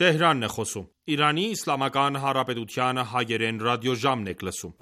Տեհրանն է խոսում։ Իրանի Իսլամական Հանրապետության հայերեն ռադիոժամն եք լսում։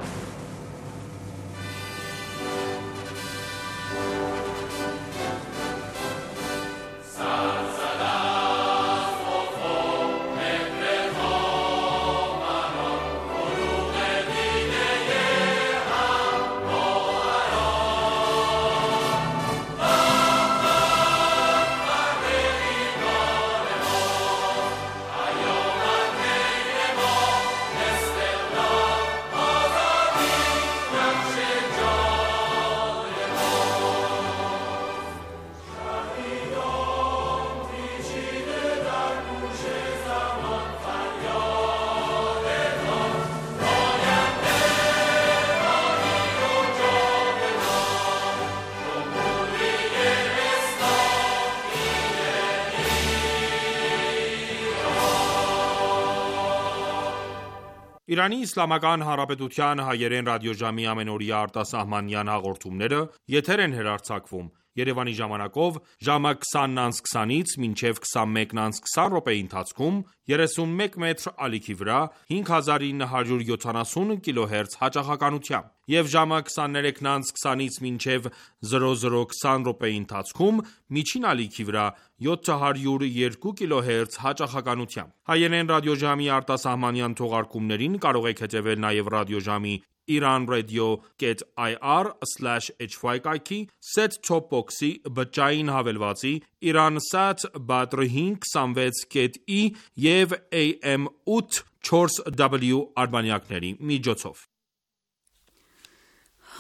Իրանի Իսլամական Հանրապետության հայերեն ռադիոժամի ամենօրյա արտասահմանյան հաղորդումները եթեր են հեռարձակվում Երևանի ժամանակով ժամը 20:20-ից մինչև 21:20 րոպեի ընթացքում 31 մետր ալիքի վրա 5970 կիլոհերց հաճախականությամբ եւ ժամը 23:20-ից մինչև 00:20 րոպեի ընթացքում միջին ալիքի վրա 702 կիլոհերց հաճախականությամբ։ Հայերեն ռադիոժամի արտասահմանյան թողարկումներին կարող եք հետևել նաև ռադիոժամի iranradio.ir/hy կայքի, set-top box-ի, բջջային հավելվածի, Iransat Badr 526.i եւ AM 8/4W արբանյակների միջոցով։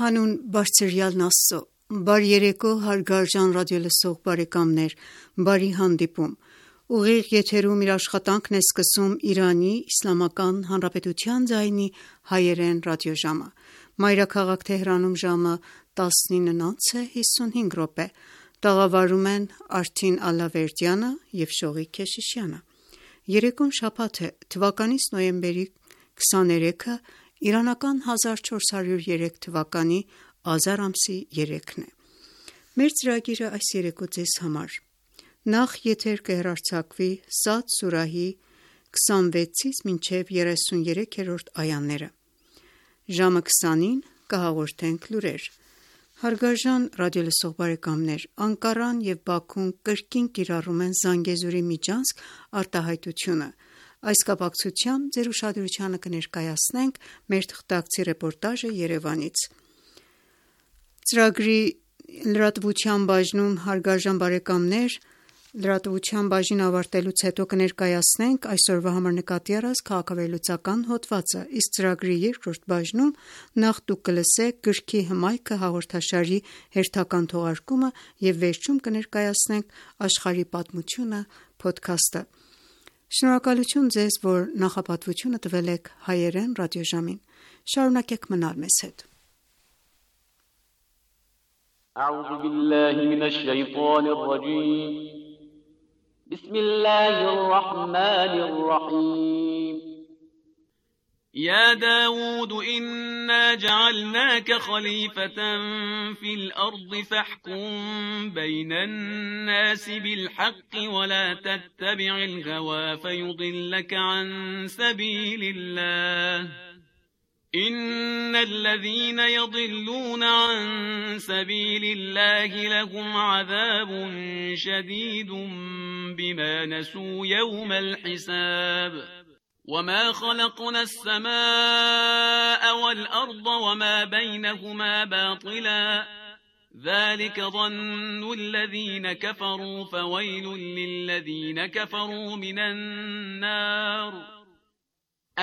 Հանուն Բարձրյալն Աստծո, բարի երեկո հարգարժան ռադիոլսող բարեկամներ, բարի հանդիպում։ Ուղիղ եթերում իր աշխատանքն է սկսում Իրանի Իսլամական Հանրապետության ձայնի հայերեն ռադիոժամը։ Մայրաքաղաք Թեհրանում ժամը 19:55 տաղավարում են Արթին Ալավերդյանը եւ Շողիկ Քեշիշյանը։ Երեկոն շաբաթ է, թվականից նոյեմբերի 23-ը, իրանական 1403 թվականի ազար ամսի 3-ն է։ Մեր ծրագիրը այս երեկո ձեզ համար նախ եթեր կհեռարձակվի Սադ սուրահի 26-ից մինչև 33-րդ այաները։ Ժամը 20-ին կհաղորդենք լուրեր։ Հարգարժան ռադիոլսող բարեկամներ, Անկարան եւ Բաքուն կրկին կիրառում են Զանգեզուրի միջանցք արտահայտությունը։ Այս կապակցությամբ ձեր ուշադրությանը կներկայացնենք մեր թղթակցի ռեպորտաժը Երևանից։ Ծրագրի լրատվության բաժնում հարգարժան բարեկամներ, լրատվության բաժին ավարտելուց հետո կներկայացնենք այսօրվա համար նկատի առած քաղաքավերլուծական հոդվածը, իսկ ծրագրի երկրորդ բաժնում նախ դուք կլսեք գրքի հմայքը հաղորդաշարի հերթական թողարկումը եւ վերջում կներկայացնենք աշխարհի պատմությունը փոդքասթը։ Շնորհակալություն ձեզ, որ նախապատվությունը տվել եք հայերեն ռադիոժամին։ Շարունակեք մնալ մեզ հետ։ أعوذ بالله من الشيطان الرجيم بسم الله الرحمن الرحيم يا داود إنا جعلناك خليفة في الأرض فاحكم بين الناس بالحق ولا تتبع الهوى فيضلك عن سبيل الله إن إن الذين يضلون عن سبيل الله لهم عذاب شديد بما نسوا يوم الحساب وما خلقنا السماء والأرض وما بينهما باطلا ذلك ظن الذين كفروا فويل للذين كفروا من النار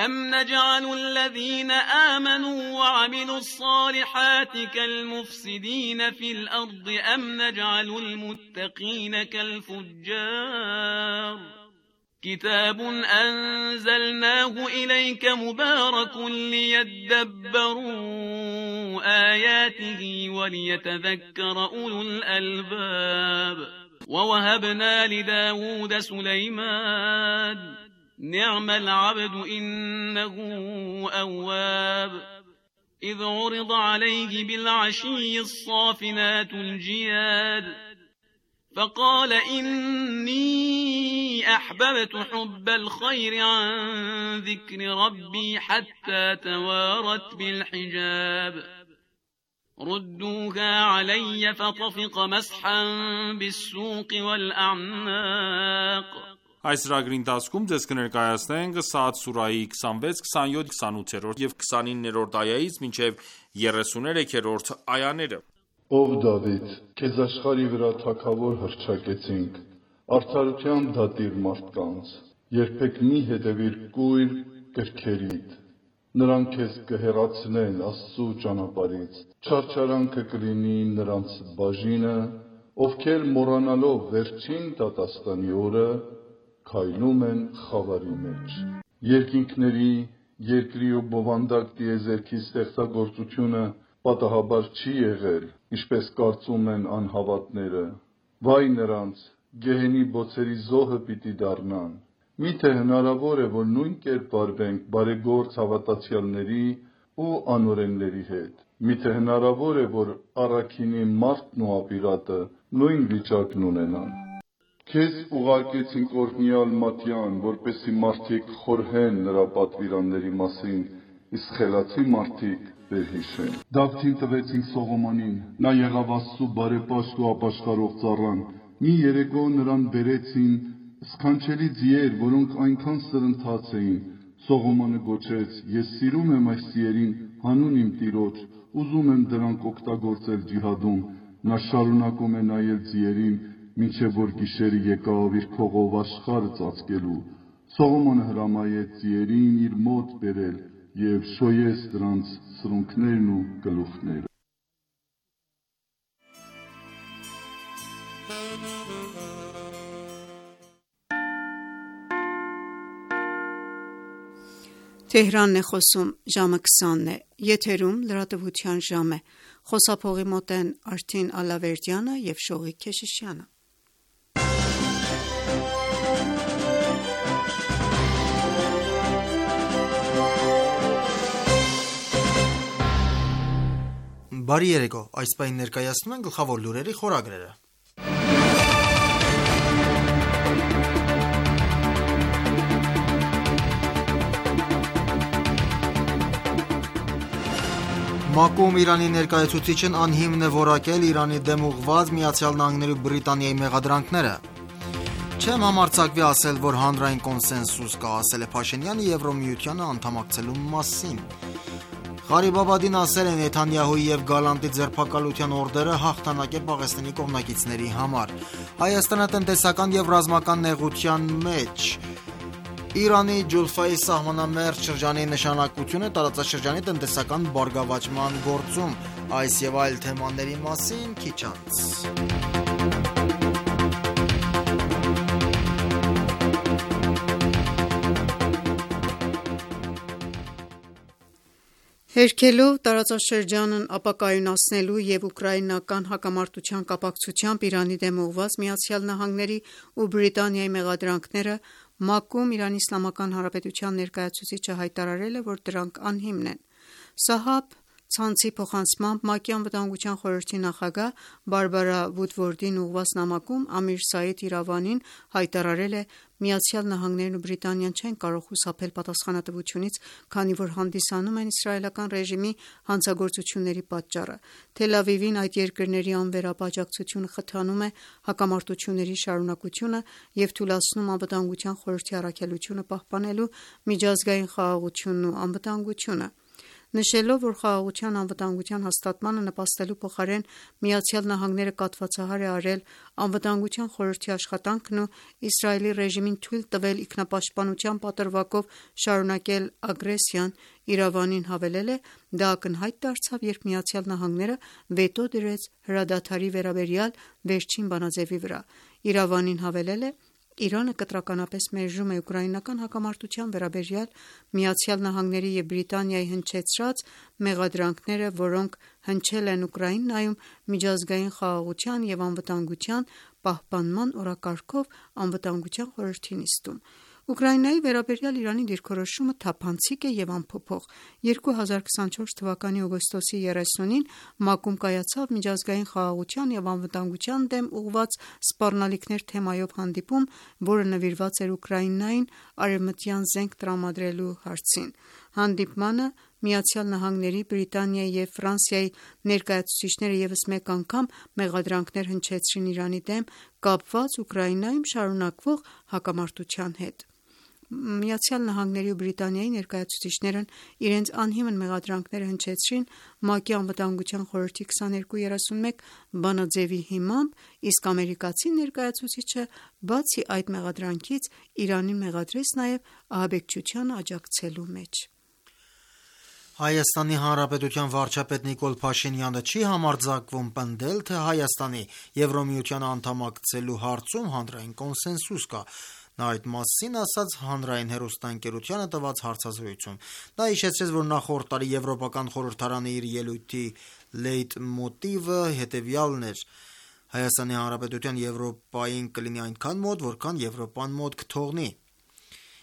أم نجعل الذين آمنوا وعملوا الصالحات كالمفسدين في الأرض أم نجعل المتقين كالفجار كتاب أنزلناه إليك مبارك ليدبروا آياته وليتذكر أولو الألباب ووهبنا لداود سليمان نعم العبد إنه أواب إذ عرض عليه بالعشي الصافنات الجياد فقال إني أحببت حب الخير عن ذكر ربي حتى توارت بالحجاب ردوها علي فطفق مسحا بالسوق والأعناق Այս ծրագրի ընթացքում ձեզ կներկայացնենք Սաադ սուրահի 26, 27, 28 և 29-րդ այայից մինչև 33-րդ այաները։ Ով Դավիթ, քեզ աշխարհի վրա թագավոր հռչակեցինք, արդարության դատիր մարդկանց, երբեք մի հետևիր կույր կրքերիդ, նրանք քեզ կհեռացնեն Աստծու ճանապարհից, չարչարանքը կլինի նրանց բաժինը, ովքեր մոռանալով վերջին դատաստանի օրը քայլում են խավարի մեջ։ Երկինքների, երկրի ու բովանդակ տիեզերքի ստեղծագործությունը պատահաբար չի եղել, ինչպես կարծում են անհավատները։ Վայ նրանց, գեհենի բոցերի զոհը պիտի դառնան։ Միթե հնարավոր է, որ նույն կերպ վարվենք բարեգործ հավատացյալների ու անօրենների հետ։ Միթե հնարավոր է, որ առաքինի մարդն ու ապիրատը նույն վիճակն ունենան։ Քեզ ուղարկեցինք օրհնյալ Մատյան, որպեսզի մարդիկ խորհեն նրա պատվիրանների մասին, իսկ խելացի մարդիկ վերհիշեն։ Դավթին տվեցինք Սողոմոնին, նա եղավ Աստծու բարեպաշտ ու ապաշխարող ծառան։ Մի երեկո նրան բերեցին սքանչելի ձիեր, որոնք այնքան սրընթաց էին։ Սողոմոնը գոչեց. Ես սիրում եմ այս ձիերին հանուն իմ Տիրոջ, ուզում եմ դրանք օգտագործել ջիհադում։ Նա շարունակում է նայել ձիերին, մինչև որ գիշերը եկավ իր քողով աշխարհը ծածկելու։ Սողոմոնը հրամայեց ձիերին իր մոտ բերել և շոյեց դրանց սրունքներն ու գլուխները։ Թեհրանն է խոսում, ժամը 20 է, եթերում լրատվության ժամ է, խոսափողի մոտ են Արթին Ալավերդյանը և Շողիկ Քեշիշյանը։ Բարի երեկո, այս պահին ներկայացնում են գլխավոր լուրերի խորագրերը։ ՄԱԿ-ում Իրանի ներկայացուցիչն անհիմն է որակել Իրանի դեմ ուղղված ԱՄՆ-ի ու Բրիտանիայի մեղադրանքները։ Չեմ համարձակվի ասել, որ հանրային կոնսենսուս կա, ասել է Փաշինյանը Եվրոմիությանը անդամակցելու մասին։ Ղարիբ Աբադին ասել է Նեթանյահուի և Գալանտի ձերբակալության օրդերը հաղթանակ է Պաղեստինի կողմնակիցների համար։ Հայաստանը տնտեսական և ռազմական նեղության մեջ։ Իրանի Ջուլֆայի սահմանամերձ շրջանի նշանակությունը տարածաշրջանի տնտեսական բարգավաճման գործում։ Այս և այլ թեմաների մասին քիչ անց։ Հերքելով տարածաշրջանն ապակայունացնելու և ուկրաինական հակամարտության կապակցությամբ Իրանի դեմ ուղղված ԱՄՆ-ի ու Բրիտանիայի մեղադրանքները ՄԱԿ-ում ԻԻՀ ներկայացուցիչը հայտարարել է, որ դրանք անհիմն են։ Սահաբ ցանցի փոխանցմամբ ՄԱԿ-ի Անվտանգության խորհրդի նախագահ Բարբարա Վուդվորդին ուղղված նամակում Ամիր Սաիդ Իրավանին հայտարարել է ԱՄՆ-ն ու Բրիտանիան չեն կարող խուսափել պատասխանատվությունից, քանի որ հանդիսանում են իսրայելական ռեժիմի հանցագործությունների պատճառը։ Թել Ավիվին այդ երկրների անվերապ աջակցությունը խթանում է հակամարտությունների շարունակությունը և թուլացնում Անվտանգության խորհրդի առաքելությունը պահպանելու միջազգային խաղաղությունն ու անվտանգությունը։ Նշելով, որ խաղաղության ու անվտանգության հաստատմանը նպաստելու փոխարեն ԱՄՆ-ն կաթվածահար է արել Անվտանգության խորհրդի աշխատանքն ու Իսրայելի ռեժիմին թույլ տվել ինքնապաշտպանության պատրվակով շարունակել ագրեսիան, Իրավանին հավելել է. դա ակնհայտ դարձավ, երբ ԱՄՆ-ն վետո դրեց հրադադարի վերաբերյալ վերջին բանաձևի վրա։ Իրավանին հավելել է. Իրանը կտրականապես մերժում է ուկրաինական հակամարտության վերաբերյալ ԱՄՆ-ի և Բրիտանիայի հնչեցրած մեղադրանքները, որոնք հնչել են Ուկրաինայում միջազգային խաղաղության և անվտանգության պահպանման օրակարգով Անվտանգության խորհրդի նիստում։ Ուկրաինայի վերաբերյալ Իրանի դիրքորոշումը թափանցիկ է և անփոփոխ։ 2024 թվականի օգոստոսի 30-ին ՄԱԿ-ում կայացավ միջազգային խաղաղության և անվտանգության դեմ ուղղված սպառնալիքներ թեմայով հանդիպում, որը նվիրված էր Ուկրաինային արևմտյան զենք տրամադրելու հարցին։ Հանդիպմանը ԱՄՆ-ի, Բրիտանիայի և Ֆրանսիայի ներկայացուցիչները ևս մեկ անգամ մեղադրանքներ հնչեցրին Իրանի դեմ՝ կապված Ուկրաինայում շարունակվող հակամարտության հետ։ ԱՄՆ-ի ու Բրիտանիայի ներկայացուցիչներն իրենց անհիմն մեղադրանքները հնչեցրին ՄԱԿ-ի Անվտանգության խորհրդի 2231 բանաձևի հիմամբ, իսկ ամերիկացի ներկայացուցիչը բացի այդ մեղադրանքից Իրանին մեղադրեց նաև ահաբեկչությանը աջակցելու մեջ։ Հայաստանի Հանրապետության վարչապետ Նիկոլ Փաշինյանը չի համարձակվում պնդել, թե Հայաստանի Եվրամիությանը անդամակցելու հարցում հանրային կոնսենսուս կա։ Նա այդ մասին ասաց Հանրային հեռուստաընկերությանը տված հարցազրույցում։ Նա հիշեցրեց, որ նախորդ տարի Եվրոպական խորհրդարանը իր ելույթի լեյտմոտիվը հետևյալն էր. Հայաստանի Հանրապետության Եվրոպային կլինի այնքան մոտ, որքան Եվրոպան մոտ կթողնի։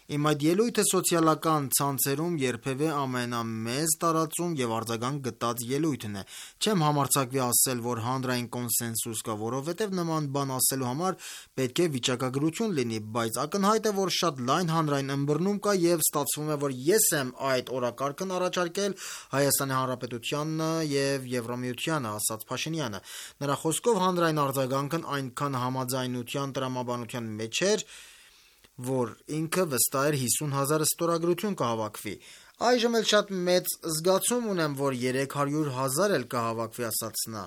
Իմ այդ ելույթը սոցիալական ցանցերում երբևէ ամենամեծ տարածում և արձագանք գտած ելույթն է։ Չեմ համարձակվի ասել, որ հանրային կոնսենսուս կա, որովհետև նման բան ասելու համար պետք է վիճակագրություն լինի, բայց ակնհայտ է, որ շատ լայն հանրային ըմբռնում կա և ստացվում է, որ ես եմ այդ օրակարգն առաջարկել Հայաստանի Հանրապետությանն և Եվրամիությանը, ասաց Փաշինյանը։ Նրա խոսքով հանրային արձագանքն այնքան համաձայնության տրամաբանության մեջ էր, որ ինքը վստահ էր 50,000 ստորագրություն կհավաքվի։ Այժմ էլ շատ մեծ զգացում ունեմ, որ 300,000 էլ կհավաքվի, ասաց նա։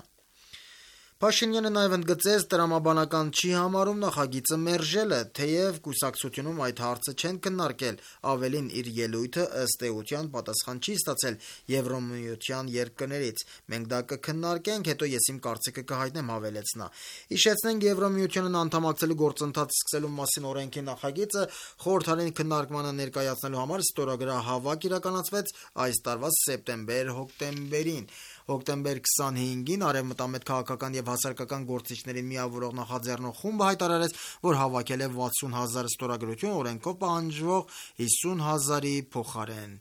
Փաշինյանը նաև ընդգծեց, տրամաբանական չի համարում նախագիծը մերժելը, թեև կուսակցությունում այդ հարցը չեն քննարկել, ավելին իր ելույթը ըստ էության պատասխան չի ստացել Եվրամիության երկրներից։ Մենք դա կքննարկենք, հետո ես իմ կարծիքը կհայտնեմ, հավելեց նա։ Հիշեցնենք, Եվրամիությանն անդամակցելու գործընթացը սկսելու մասին օրենքի նախագիծը խորհրդարանի քննարկմանը ներկայացնելու համար ստորագրահավաք իրականացվեց այս տարվա սեպտեմբեր-հոկտեմբերին։ Հոկտեմբեր 25-ին Արևմտամետ քաղաքական և հասարակական գործիչներին միավորող նախաձեռնող խումբը հայտարարեց, որ հավաքել է 60,000 ստորագրություն օրենքով պահանջվող 50,000-ի փոխարեն։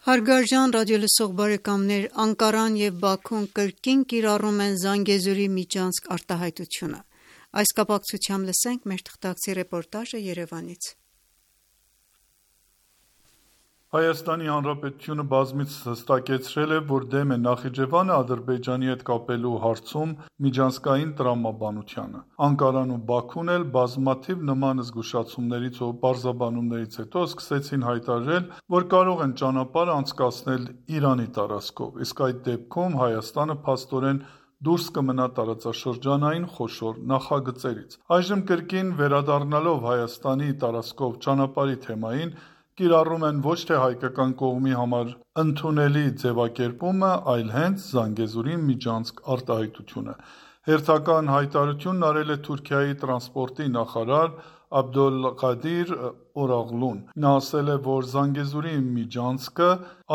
Հարգարժան ռադիոլսող բարեկամներ, Անկարան և Բաքուն կրկին կիրառում են Զանգեզուրի միջանցք արտահայտությունը։ Այս կապակցությամբ լսենք մեր թղթակցի ռեպորտաժը Երևանից։ Հայաստանի Հանրապետությունը բազմիցս հստակեցրել է, որ դեմ է Նախիջևանը Ադրբեջանի հետ կապելու հարցում միջանցքային տրամաբանությանը։ Անկարան ու Բաքուն էլ բազմաթիվ նման զգուշացումներից ու պարզաբանումներից հետո սկսեցին հայտարարել, որ կարող են ճանապարհ անցկացնել Իրանի տարածքով, իսկ այդ դեպքում Հայաստանը փաստորեն դուրս կմնա տարածաշրջանային խոշոր նախագծերից։ Այժմ կրկին վերադառնալով Հայաստանի տարածքով ճանապարհի թեմային, կիրառում են ոչ թե հայկական կողմի համար ընդունելի ձևակերպումը, այլ հենց Զանգեզուրի միջանցք արտահայտությունը։ Հերթական հայտարարությունն արել է Թուրքիայի տրանսպորտի նախարար Աբդոլղադիր Օրաղլուն։ Նա ասել է, որ Զանգեզուրի միջանցքը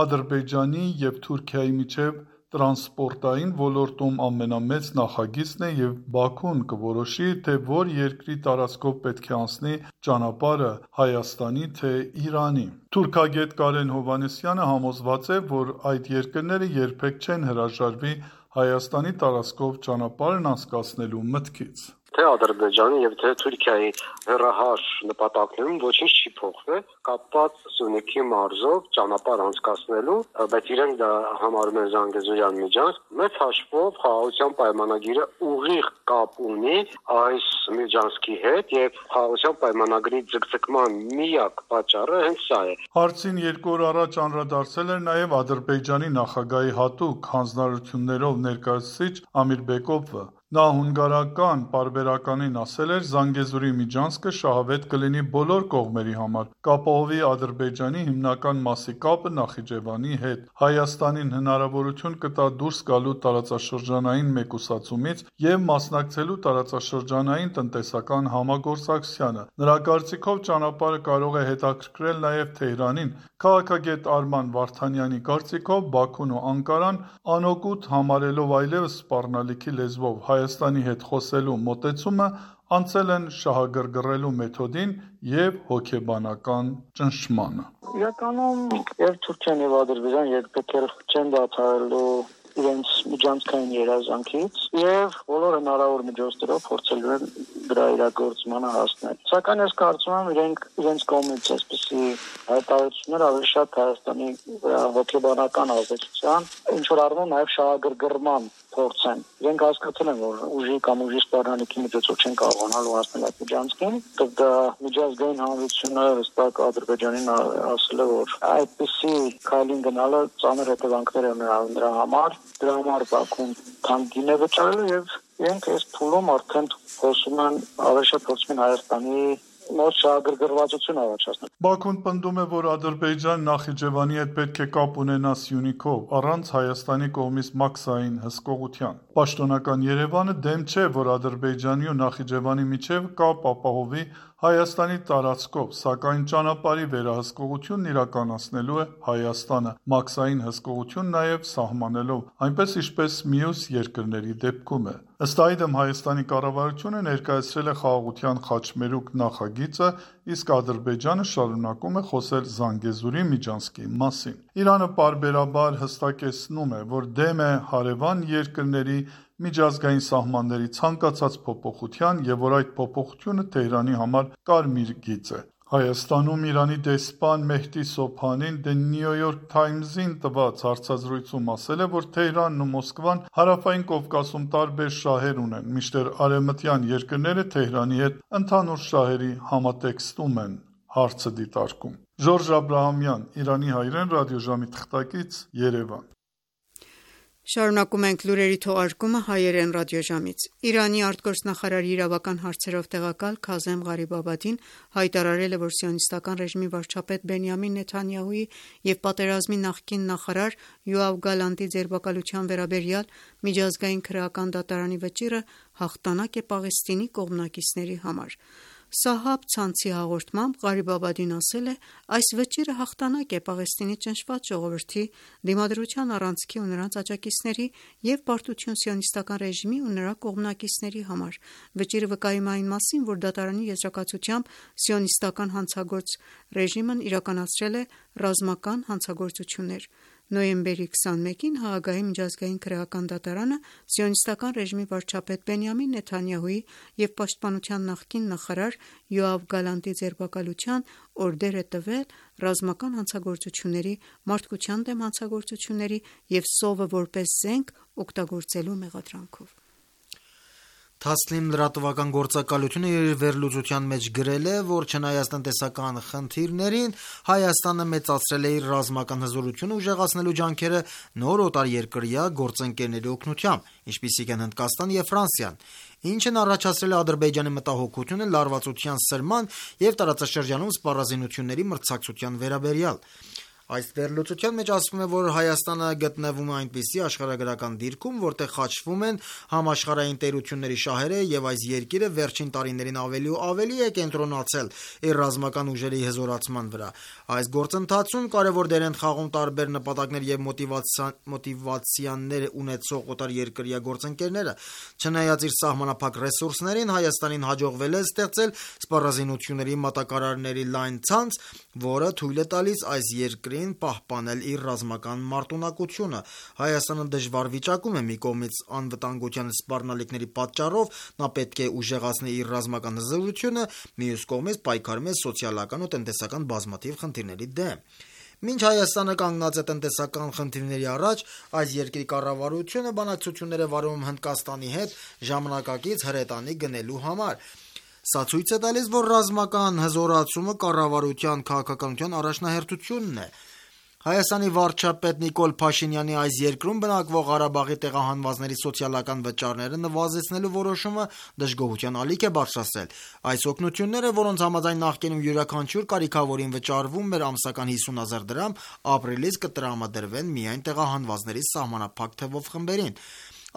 Ադրբեջանի և Թուրքիայի միջև տրանսպորտային ոլորտում ամենամեծ նախագիծն է և Բաքուն կորոշի, թե որ երկրի տարածքով պետք է անցնի ճանապարհը Հայաստանի, թե Իրանի։ Թուրքագետ Կարեն Հովհաննիսյանը համոզված է, որ այդ երկրները երբեք չեն հրաժարվի Հայաստանի տարածքով ճանապարհն անցկացնելու մտքից։ թե Ադրբեջանի եւ թե Թուրքիայի հեռահար նպատակներում ոչինչ չի փոխվել կապված Սյունիքի մարզով ճանապարհ անցկացնելու, բայց իրենք դա համարում են Զանգեզուրյան միջանցք։ Մեծ հաշվով խաղաղության պայմանագիրը ուղիղ կապ ունի այս միջանցքի հետ եւ խաղաղության պայմանագրի ձգձգման միակ պատճառը հենց սա է։ Հարցին 2 օր առաջ անդրադարձել էր նաեւ Ադրբեջանի նախագահի հատուկ հանձնարարություններով ներկայացուցիչ Ամիր Բեկովը։ Նա հունգարական պարբերականին ասել էր Զանգեզուրի միջանցքը շահավետ կլինի բոլոր կողմերի համար, կապահովի Ադրբեջանի հիմնական մասի կապը Նախիջևանի հետ, Հայաստանին հնարավորություն կտա դուրս գալու տարածաշրջանային մեկուսացումից և մասնակցելու տարածաշրջանային տնտեսական համագործակցությանը։ Նրա կարծիքով ճանապարհը կարող է հետաքրքրել նաև Թեհրանին։ Քաղաքագետ Արման Վարդանյանի կարծիքով Բաքուն ու Անկարան անօգուտ համարելով այլևս սպառնալիքի լեզվով Հայաստանի հետ խոսելու մոտեցումը անցել են շահագրգռելու մեթոդին և հոգեբանական ճնշմանը։ Իրականում եւ Թուրքիան եւ Ադրբեջանը երբեք չեն դադարելու իրենց միջանցքային երազանքից եւ բոլոր հնարավոր միջոցներով փորձելու են դրա իրագործմանը հասնել։ Սակայն ես կարծում եմ իրենց կողմից այսպիսի հայտարարություններ ավելի շատ Հայաստանի հոգեբանական ազդեցության, ինչ որ առնում նաեւ շահագրգռման փորձ են։ Իրենք հասկացել են, որ ուժի կամ ուժի սպառնալիքի միջոցով չեն կարողանալու հասնել այդ միջանցքին, դա միջազգային հանրությունը հստակ Ադրբեջանին ասել է, որ այդպիսի քայլին գնալը ծանր հետևանքներ ունենա նրա համար, դրա համար Բաքուն թանկին է վճարել եւ իրենք այս փուլում արդեն փորձում են ավելի շատ փորձում են Հայաստանի մոտ շահագրգռվածություն առաջացնել։ Բաքուն պնդում է, որ Ադրբեջան Նախիջևանի հետ պետք է կապ ունենա Սյունիքով, առանց Հայաստանի կողմից մաքսային հսկողության։ Պաշտոնական Երևանը դեմ չէ, որ Ադրբեջանի ու Նախիջևանի միջև կապ ապահովի Հայաստանի տարածքով, սակայն ճանապարհի վերահսկողությունն իրականացնելու է Հայաստանը, մաքսային հսկողություն նաև սահմանելով, այնպես ինչպես մյուս երկրների դեպքում է։ Ըստ այդմ Հայաստանի կառավարությունը ներկայացրել է խաղաղության խաչմերուկ նախագիծը, իսկ Ադրբեջանը շարունակում է խոսել Զանգեզուրի միջանցքի մասին։ Իրանը պարբերաբար հստակեցնում է, որ դեմ է հարևան երկրների միջազգային սահմանների ցանկացած փոփոխության և որ այդ փոփոխությունը Թեհրանի համար կարմիր գիծ է։ Հայաստանում Իրանի դեսպան Մեհդի Սոբհանին The New York Times-ին տված հարցազրույցում ասել է, որ Թեհրանն ու Մոսկվան Հարավային Կովկասում տարբեր շահեր ունեն, մինչդեռ արևմտյան երկրները Թեհրանի հետ ընդհանուր շահերի համատեքստում են հարցը դիտարկում։ Ժորժ Աբրահամյան, Իրանի հայրեն, ռադիոժամի թղթակից, Երևան։ Շարունակում ենք լուրերի թողարկումը հայերեն ռադիոժամից։ Իրանի արտգործնախարարի իրավական հարցերով տեղակալ Քազեմ Ղարիբաբադին հայտարարել է, որ սիոնիստական ռեժիմի վարչապետ Բենյամին Նեթանյահուի և պատերազմի նախկին նախարար Յոավ Գալանտի ձերբակալության վերաբերյալ միջազգային քրեական դատարանի վճիռը հաղթանակ է Պաղեստինի կողմնակիցների համար։ Սահաբ ցանցի հաղորդմամբ Ղարիբաբադին ասել է. այս վճիռը հաղթանակ է Պաղեստինի ճնշված ժողովրդի, դիմադրության առանցքի ու նրանց աջակիցների և պարտություն սիոնիստական ռեժիմի ու նրա կողմնակիցների համար։ Վճիռը վկայում է այն մասին, որ դատարանի եզրակացությամբ սիոնիստական հանցագործ ռեժիմն իրականացրել է ռազմական հանցագործություններ։ Նոյեմբերի 21-ին Հաագայի միջազգային քրեական դատարանը սիոնիստական ռեժիմի վարչապետ Բենյամին Նեթանյահուի և պաշտպանության նախկին նախարար Յոավ Գալանտի ձերբակալության օրդեր է տվել ռազմական հանցագործությունների, մարդկության դեմ հանցագործությունների և սովը որպես զենք օգտագործելու մեղադրանքով։ Թասլիմ լրատվական գործակալությունը իր վերլուծության մեջ գրել է, որ չնայած տնտեսական խնդիրներին, Հայաստանը մեծացրել է իր ռազմական հզորությունը ուժեղացնելու ջանքերը նոր օտարերկրյա գործընկերների օգնությամբ, ինչպիսիք են Հնդկաստանը և Ֆրանսիան, ինչն առաջացրել է Ադրբեջանի մտահոգությունը լարվածության սրման և տարածաշրջանում սպառազինությունների մրցակցության վերաբերյալ։ Այս վերլուծության մեջ ասվում է, որ Հայաստանը գտնվում է այնպիսի աշխարհագրական դիրքում, որտեղ խաչվում են համաշխարհային տերությունների շահերը եւ այս երկիրը վերջին տարիներին ավելի ու ավելի է կենտրոնացել իր ռազմական ուժերի հզորացման վրա։ Այս գործընթացում կարևոր դեր են խաղում տարբեր նպատակներ եւ մոտիվացիաներ ունեցող օտարերկրյա գործընկերները։ Չնայած իր սահմանափակ ռեսուրսներին, Հայաստանին հաջողվել է ստեղծել սպառազինությունների մատակարարների լայն ցանց, որը թույլ է տալիս այս երկրի երկրին պահպանել իր ռազմական մարտունակությունը։ Հայաստանը դժվար վիճակում է, մի կողմից անվտանգության սպառնալիքների պատճառով նա պետք է ուժեղացնի իր ռազմական հզորությունը, մյուս կողմից պայքարում է սոցիալական ու տնտեսական բազմաթիվ խնդիրների դեմ։ Մինչ Հայաստանը կանգնած է տնտեսական խնդիրների առաջ, այս երկրի կառավարությունը բանակցություններ է վարում Հնդկաստանի հետ ժամանակակից հրետանի գնելու համար։ Սա ցույց է տալիս, որ ռազմական հզորացումը կառավարության քաղաքականության առաջնահերթությունն է։ Հայաստանի վարչապետ Նիկոլ Փաշինյանի այս երկրում բնակվող Ղարաբաղի տեղահանվածների սոցիալական վճարները նվազեցնելու որոշումը դժգոհության ալիք է բարձրացրել։ Այս օգնությունները, որոնց համաձայն նախկինում յուրաքանչյուր կարիքավորին վճարվում էր ամսական 50,000 դրամ, ապրիլից կտրամադրվեն միայն տեղահանվածների սահմանափակ թվով խմբերին։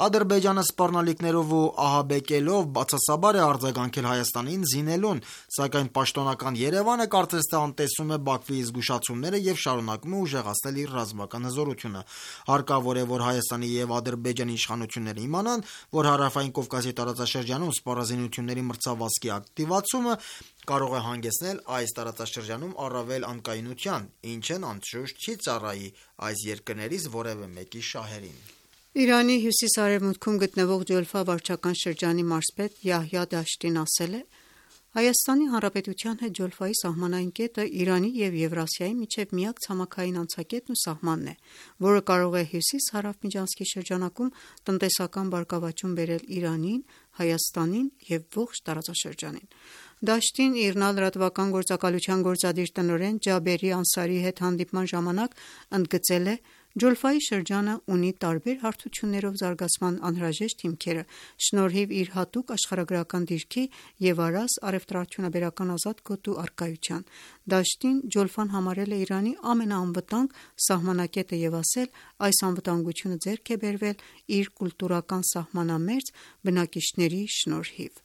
Ադրբեջանը սպառնալիքներով ու ահաբեկելով բացասաբար է արձագանքել Հայաստանին զինելուն, սակայն պաշտոնական Երևանը կարծես թե անտեսում է Բաքվի զգուշացումները եւ շարունակում է ուժեղացնել իր ռազմական հզորությունը։ Հարկավոր է, որ Հայաստանի եւ Ադրբեջանի իշխանությունները իմանան, որ Հարավային Կովկասի տարածաշրջանում սպառազինությունների մրցավազքի ակտիվացումը կարող է հանգեցնել այս տարածաշրջանում առավել անկայունության, ինչն անշուշտ չի ծառայի այս երկրներից որևէ մեկի շահերին։ Իրանի հյուսիս-արևմուտքում գտնվող Ջոլֆա վարչական շրջանի մարզպետ Յահյա Դաշտին ասել է. Հայաստանի Հանրապետության հետ Ջոլֆայի սահմանային կետը Իրանի և Եվրասիայի միջև միակ ցամաքային անցակետն ու սահմանն է, որը կարող է հյուսիս-հարավ միջանցքի շրջանակում տնտեսական բարգավաճում բերել Իրանին, Հայաստանին և ողջ տարածաշրջանին։ Դաշտին ԻՌՆԱ լրատվական գործակալության գործադիր տնօրեն Ջաբերի Անսարիի հետ հանդիպման ժամանակ ընդգծել է. Ջոլֆայի շրջանը ունի տարբեր հարթություններով զարգացման անհրաժեշտ հիմքերը, շնորհիվ իր հատուկ աշխարհագրական դիրքի և առաս առևտրաարդյունաբերական ազատ գոտու առկայության։ Դաշտին Ջոլֆան համարել է Իրանի ամենաանվտանգ սահմանակետը և ասել, այս անվտանգությունը ձեռք է բերվել իր կուլտուրական սահմանամերձ բնակիչների շնորհիվ։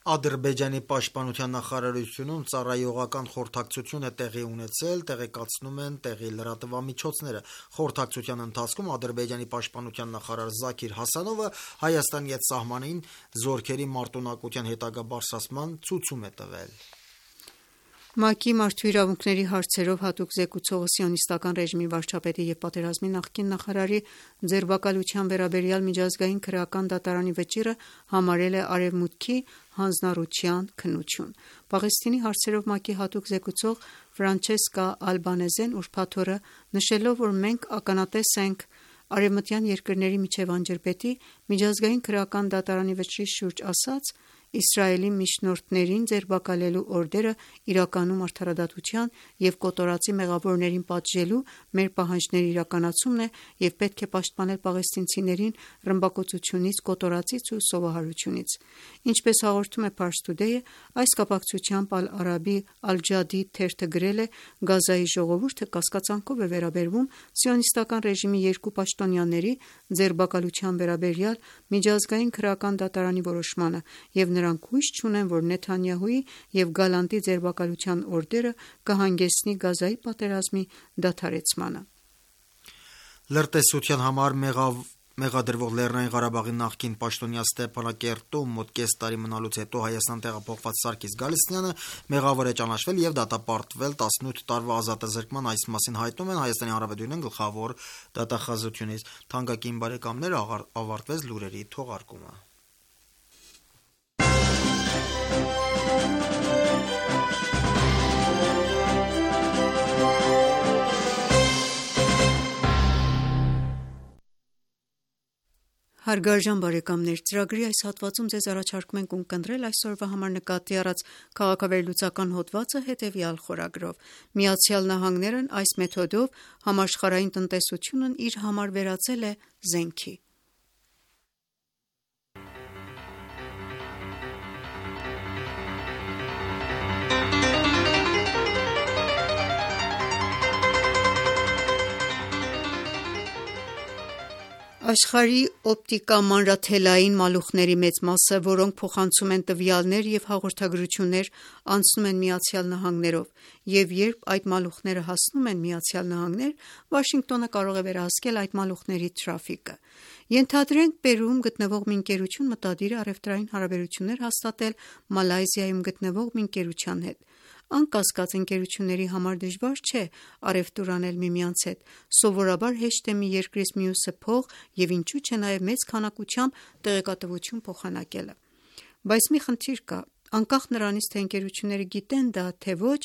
Ադրբեջանի պաշտպանության նախարարությունում ծառայողական խորհրդակցություն է տեղի ունեցել, տեղեկացնում են տեղի լրատվամիջոցները։ Խորհրդակցության ընթացքում Ադրբեջանի պաշտպանության նախարար Զաքիր Հասանովը Հայաստանի հետ սահմանին զորքերի մարտունակության հետագա բարձրացման ցույց է տվել։ ՄԱԿ-ի մարդու իրավունքների հարցերով հատուկ զեկուցողը Սիոնիստական ռեժիմի վարչապետի և պատերազմի նախկին նախարարի ձերբակալության վերաբերյալ միջազգային քրեական դատարանի վճիռը համարել է Արևմուտքի հանձնառության քննություն։ Պաղեստինի հարցերով ՄԱԿ-ի հատուկ զեկուցող Ֆրանչեսկա Ալբանեզեն ուրբաթ օրը նշելով, որ մենք ականատես ենք արևմտյան երկրների միջև անջրպետի միջազգային քրեական դատարանի վճռի շուրջ ասաց. Իսրայելի միջնորդներին ձերբակալելու օրդերը իրականում արդարադատության և կոտորածի մեղավորներին պատժելու մեր պահանջների իրականացումն է և պետք է պաշտպանել պաղեստինցիներին ռմբակոծությունից, կոտորածից ու սովահարությունից։ Ինչպես հաղորդում է Pars Today-ը, այս կապակցությամբ Ալ-Արաբի Ալ-Ջադիդ թերթը գրել է. Գազայի ժողովուրդը կասկածանքով է վերաբերվում Սիոնիստական ռեժիմի երկու պաշտոնյաների ձերբակալության վերաբերյալ միջազգային քրեական դատարանի որոշմանը և նրանք հույս չունեն, որ Նեթանյահուի և Գալանտի ձերբակալության օրդերը կհանգեցնի Գազայի պատերազմի դադարեցմանը։ Լրտեսության համար մեղադրվող Լեռնային Ղարաբաղի նախկին պաշտոնյա Ստեփանակերտում մոտ կես տարի մնալուց հետո Հայաստան տեղափոխված Սարգիս Գալստյանը մեղավոր է ճանաչվել և դատապարտվել 18 տարվա ազատազրկման։ Այս մասին հայտնում են Հայաստանի Հանրապետության գլխավոր դատախազությունից։ Թանկագին բարեկամներ, ավարտվեց լուրերի թողարկումը։ Հարգարժան բարեկամներ, ծրագրի այս հատվածում ձեզ առաջարկում ենք ունկնդրել այսօրվա համար նկատի առած քաղաքավերլուծական հոդվածը հետևյալ խորագրով. ԱՄՆ-ն այս մեթոդով համաշխարհային տնտեսությունն իր համար վերածել է զենքի։ Աշխարհի օպտիկամանրաթելային մալուխների մեծ մասը, որոնք փոխանցում են տվյալներ և հաղորդագրություններ, անցնում են ԱՄՆ-ով, և երբ այդ մալուխները հասնում են ԱՄՆ, Վաշինգտոնը կարող է վերահսկել այդ մալուխների թրաֆիկը։ Ենթադրենք Պերուում գտնվող մի ընկերություն մտադիր է առևտրային հարաբերություններ հաստատել Մալայզիայում գտնվող մի ընկերության հետ։ Անկասկած ընկերությունների համար դժվար չէ առևտուր անել միմյանց հետ, սովորաբար հեշտ է մի երկրից մյուսը փող և ինչու չէ նաև մեծ քանակությամբ տեղեկատվություն փոխանակելը: Բայց մի խնդիր կա: Անկախ նրանից, թե ընկերությունները գիտեն դա թե ոչ,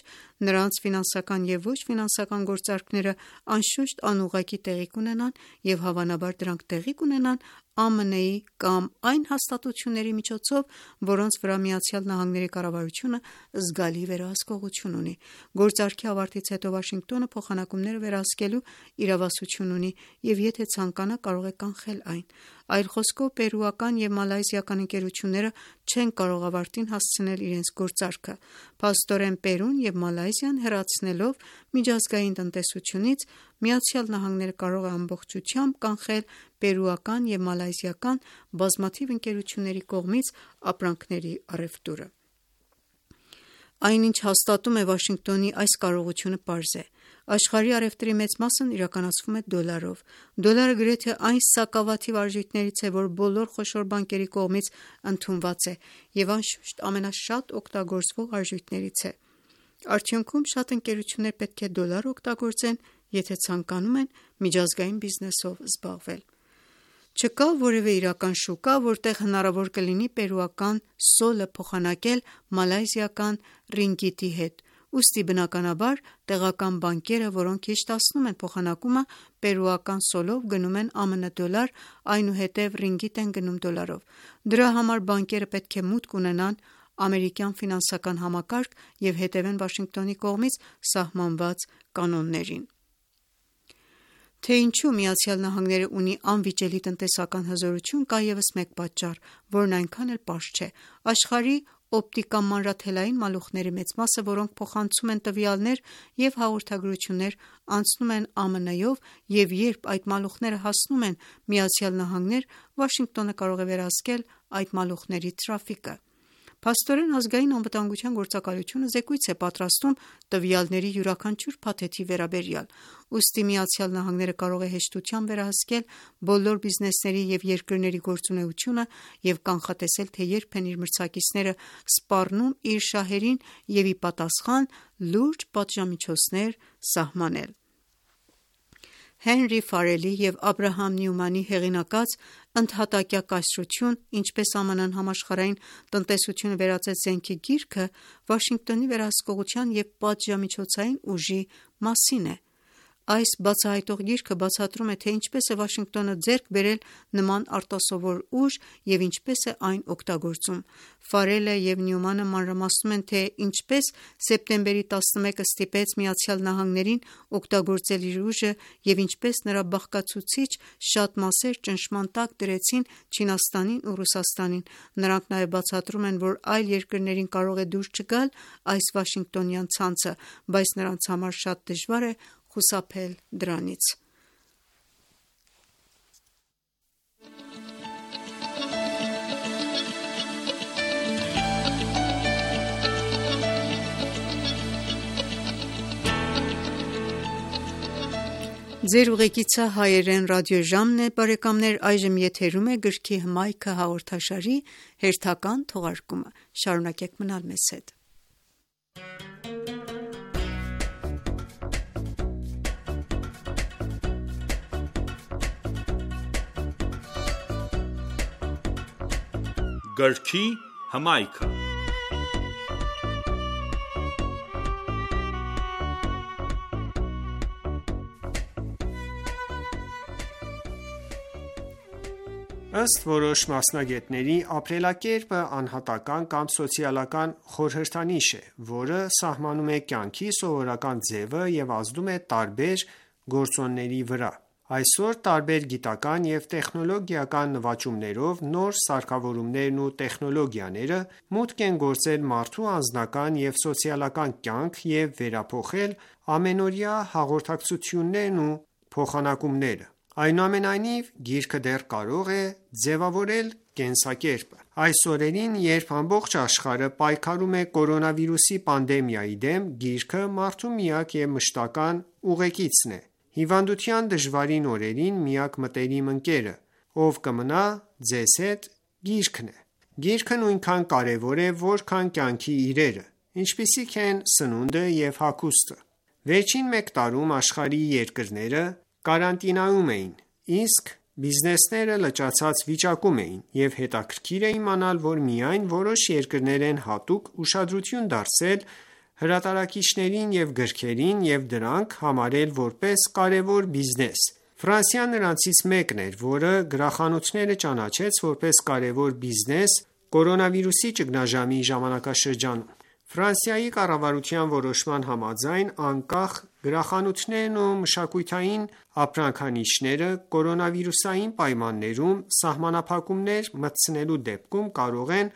նրանց ֆինանսական և ոչ ֆինանսական գործարքները անշուշտ անուղղակի տեղի կունենան և հավանաբար դրանք տեղի կունենան ԱՄՆ-ի կամ այն հաստատությունների միջոցով, որոնց վրա ԱՄՆ կառավարությունը զգալի վերահսկողություն ունի: Գործարքի ավարտից հետո Վաշինգտոնը փոխանակումները վերահսկելու իրավասություն ունի և եթե ցանկանա կարող է կանխել այն: Այլ խոսքով պերուական և մալայզիական ընկերությունները չեն կարող ավարտին հասցնել իրենց գործարքը: Փաստորեն Պերուն և Մալայզիան հեռացնելով միջազգային տնտեսությունից, ԱՄՆ-ը կարող է ամբողջությամբ կանխել պերուական և մալայզիական բազմաթիվ ընկերությունների կողմից ապրանքների առևտուրը: Այն ինչ հաստատում է Վաշինգտոնի այս կարողությունը պարզ է: Աշխարհի առևտրի մեծ մասն իրականացվում է դոլարով: Դոլարը գրեթե այն սակավաթիվ արժույթներից է, որ բոլոր խոշոր բանկերի կողմից ընդունված է և անշուշտ ամենաշատ օգտագործվող արժույթներից է: Արդյունքում շատ ընկերություններ պետք է դոլար օգտագործեն, եթե ցանկանում են միջազգային բիզնեսով զբաղվել: Չկա որևէ իրական շուկա, որտեղ հնարավոր կլինի պերուական սոլը փոխանակել մալայզիական ռինգիտի հետ, ուստի բնականաբար տեղական բանկերը, որոնք հեշտացնում են փոխանակումը, պերուական սոլով գնում են ԱՄՆ դոլար, այնուհետև ռինգիտ են գնում դոլարով: Դրա համար բանկերը պետք է մուտք ունենան ամերիկյան ֆինանսական համակարգ և հետևեն Վաշինգտոնի կողմից սահմանված կանոններին: Թե ինչու ԱՄՆ-ն ունի անվիճելի տնտեսական հզորություն, կա ևս մեկ պատճառ, որն այնքան էլ պարզ չէ: Աշխարհի օպտիկամանրաթելային մալուխների մեծ մասը, որոնք փոխանցում են տվյալներ և հաղորդագրություններ, անցնում են ԱՄՆ-ով և երբ այդ մալուխները հասնում են ԱՄՆ, Վաշինգտոնը կարող է վերահսկել այդ մալուխների թրաֆիկը: Փաստորեն Ազգային անվտանգության գործակալությունը զեկույց է պատրաստում տվյալների յուրաքանչյուր փաթեթի վերաբերյալ: Ուստի ԱՄՆ-ը կարող է հեշտությամբ վերահսկել բոլոր բիզնեսների և երկրների գործունեությունը և կանխատեսել, թե երբ են իր մրցակիցները սպառնում իր շահերին և ի պատասխան լուրջ պատժամիջոցներ սահմանել: Հենրի Ֆարելի և Աբրահամ Նյումանի հեղինակած «Ընդհատակյա կայսրություն. Ինչպես ԱՄՆ-ն համաշխարհային տնտեսությունը վերածեց զենքի» գիրքը Վաշինգտոնի վերահսկողության և պատժամիջոցային ուժի մասին է: Այս բացահայտող գիրքը բացատրում է, թե ինչպես է Վաշինգտոնը ձեռք բերել նման արտասովոր ուժ և ինչպես է այն օգտագործում: Ֆարելը և Նյումանը մանրամասնում են, թե ինչպես սեպտեմբերի 11-ը ստիպեց ԱՄՆ-ին օգտագործել իր ուժը և ինչպես նրա բաղկացուցիչ շատ մասեր ճնշման տակ դրեցին Չինաստանին ու Ռուսաստանին: Նրանք նաև բացատրում են, որ այլ երկրներին կարող է դուր չգալ այս վաշինգտոնյան ցանցը, բայց նրանց համար շատ դժվար է խուսափել դրանից: Գրքի հմայքը Ըստ որոշ մասնագետների, ապրելակերպը անհատական կամ սոցիալական խորհրդանիշ է, որը սահմանում է կյանքի սովորական ձևը և ազդում է տարբեր գործոնների վրա: Այսօր տարբեր գիտական և տեխնոլոգիական նվաճումներով նոր սարքավորումներն ու տեխնոլոգիաները մուտք են գործել մարդու անձնական և սոցիալական կյանք և վերափոխել ամենօրյա հաղորդակցություններն ու փոխանակումները: Այնուամենայնիվ, գիրքը դեռ կարող է ձևավորել կենսակերպը: Այս օրերին, երբ ամբողջ աշխարհը պայքարում է կորոնավիրուսի պանդեմիայի դեմ, գիրքը մարդու միակ և մշտական ուղեկիցն է: Հիվանդության դժվարին օրերին միակ մտերիմ ընկերը, ով կմնա ձեզ հետ, գիրքն է: Գիրքը նույնքան կարևոր է, որքան կյանքի իրերը: ինչպիսիք են սնունդը և հագուստը։ Վերջին մեկ տարում աշխարհի երկրները կարանտինայում էին, իսկ բիզնեսները լճացած վիճակում էին, և հետաքրքիր է իմանալ, որ միայն որոշ երկրներ են հատուկ ուշադրություն դարձրել հրատարակիչներին և գրքերին և դրանք համարել որպես կարևոր բիզնես։ Ֆրանսիան նրանցից մեկն էր, որը գրախանութները ճանաչեց որպես կարևոր բիզնես կորոնավիրուսի ճգնաժամի ժամանակաշրջանում։ Ֆրանսիայի կառավարության որոշման համաձայն, անկախ գրախանութներն ու մշակութային ապրանքանիշերը կորոնավիրուսային պայմաններում սահմանափակումներ մտցնելու դեպքում կարող են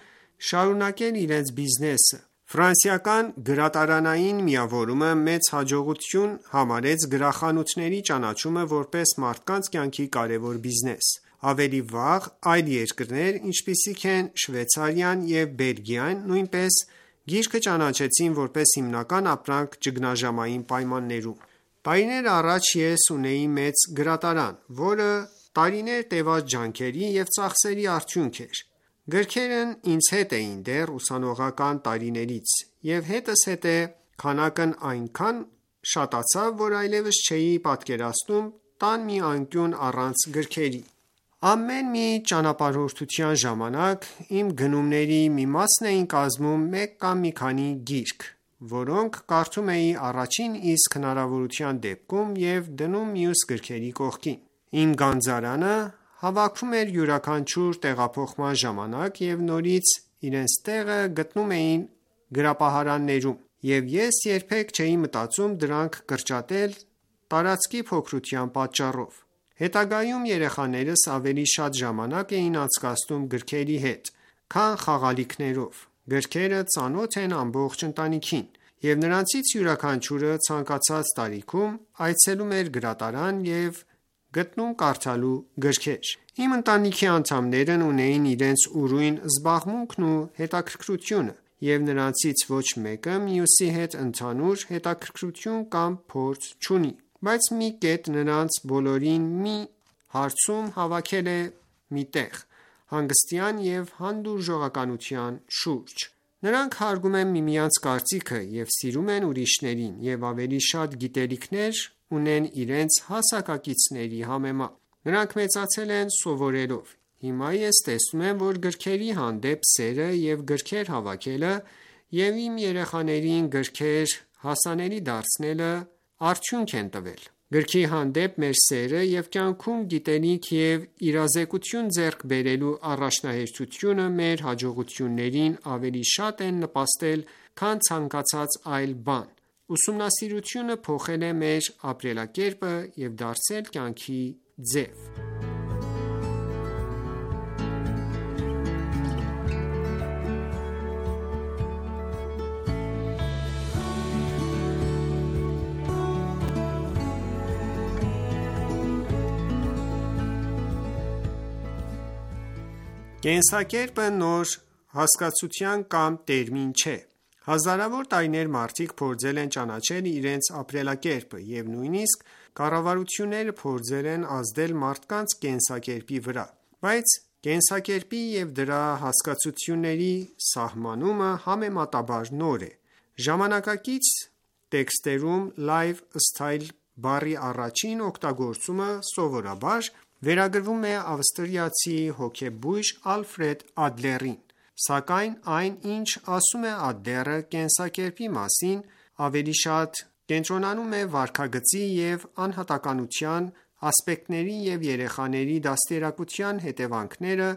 շարունակել իրենց բիզնեսը։ Ֆրանսիական գրատարանային միավորումը մեծ հաջողություն համարեց գրախանութների ճանաչումը որպես մարդկանց կյանքի կարևոր բիզնես։ Ավելի վաղ այլ երկրներ, ինչպիսիք են Շվեյցարիան և Բելգիան, նույնպես գիրքը ճանաչեցին որպես հիմնական ապրանք ճգնաժամային պայմաններում։ Տարիներ առաջ ես ունեի մեծ գրատարան, որը տարիներ տևած ջանքերի և ծախսերի արդյունք էր։ Գրքերն ինձ հետ էին դեռ ուսանողական տարիներից, և հետզհետե քանակն այնքան շատացավ, որ այլևս չէի պատկերացնում տան մի անկյուն առանց գրքերի։ Ամեն մի ճանապարհորդության ժամանակ իմ գնումների մի մասն էին կազմում մեկ կամ մի քանի գիրք, որոնք կարդում էի առաջին իսկ հնարավորության դեպքում և դնում մյուս գրքերի կողքին։ Իմ գանձարանը հավաքում էր յուրաքանչյուր տեղափոխման ժամանակ և նորից իրենց տեղը գտնում էին գրապահարաններում, և ես երբեք չէի մտածում դրանք կրճատել տարածքի փոքրության պատճառով։ Հետագայում երեխաներս ավելի շատ ժամանակ էին անցկացնում գրքերի հետ, քան խաղալիքներով։ Գրքերը ծանոթ են ամբողջ ընտանիքին, և նրանցից յուրաքանչյուրը ցանկացած տարիքում այցելում էր գրատարան և գտնում կարդալու գրքեր։ Իմ ընտանիքի անդամներն ունեին իրենց ուրույն զբաղմունքն ու հետաքրքրությունը, և նրանցից ոչ մեկը մյուսի հետ ընդհանուր հետաքրքրություն կամ փորձ չունի, բայց մի կետ նրանց բոլորին մի հարցում հավաքել է մի տեղ՝ հանգստյան և հանդուրժողականության շուրջ։ Նրանք հարգում են միմյանց կարծիքը և սիրում են ուրիշներին և ավելի շատ գիտելիքներ ունեն իրենց հասակակիցների համեմատ։ Նրանք մեծացել են սովորելով։ Հիմա ես տեսնում եմ, որ գրքերի հանդեպ սերը և գրքեր հավաքելը և իմ երեխաներին գրքեր հասանելի դարձնելը արդյունք են տվել։ Գրքի հանդեպ մեր սերը և կյանքում գիտելիք և իրազեկություն ձեռք բերելու առաջնահերթությունը մեր հաջողություններին ավելի շատ են նպաստել, քան ցանկացած այլ բան։ Ուսումնասիրությունը փոխել է մեր ապրելակերպը և դարձել կյանքի ձև։ Կենսակերպը նոր հասկացություն կամ տերմին չէ։ Հազարավոր տարիներ մարդիկ փորձել են ճանաչել իրենց ապրելակերպը, և նույնիսկ կառավարությունները փորձել են ազդել մարդկանց կենսակերպի վրա, բայց կենսակերպի և դրա հասկացությունների սահմանումը համեմատաբար նոր է։ Ժամանակակից տեքստերում lifestyle բառի առաջին օգտագործումը սովորաբար վերագրվում է ավստրիացի հոգեբույժ Ալֆրեդ Ադլերին, սակայն այն, ինչ ասում է Ադլերը կենսակերպի մասին, ավելի շատ կենտրոնանում է վարքագծի և անհատականության ասպեկտների և երեխաների դաստիարակության հետևանքները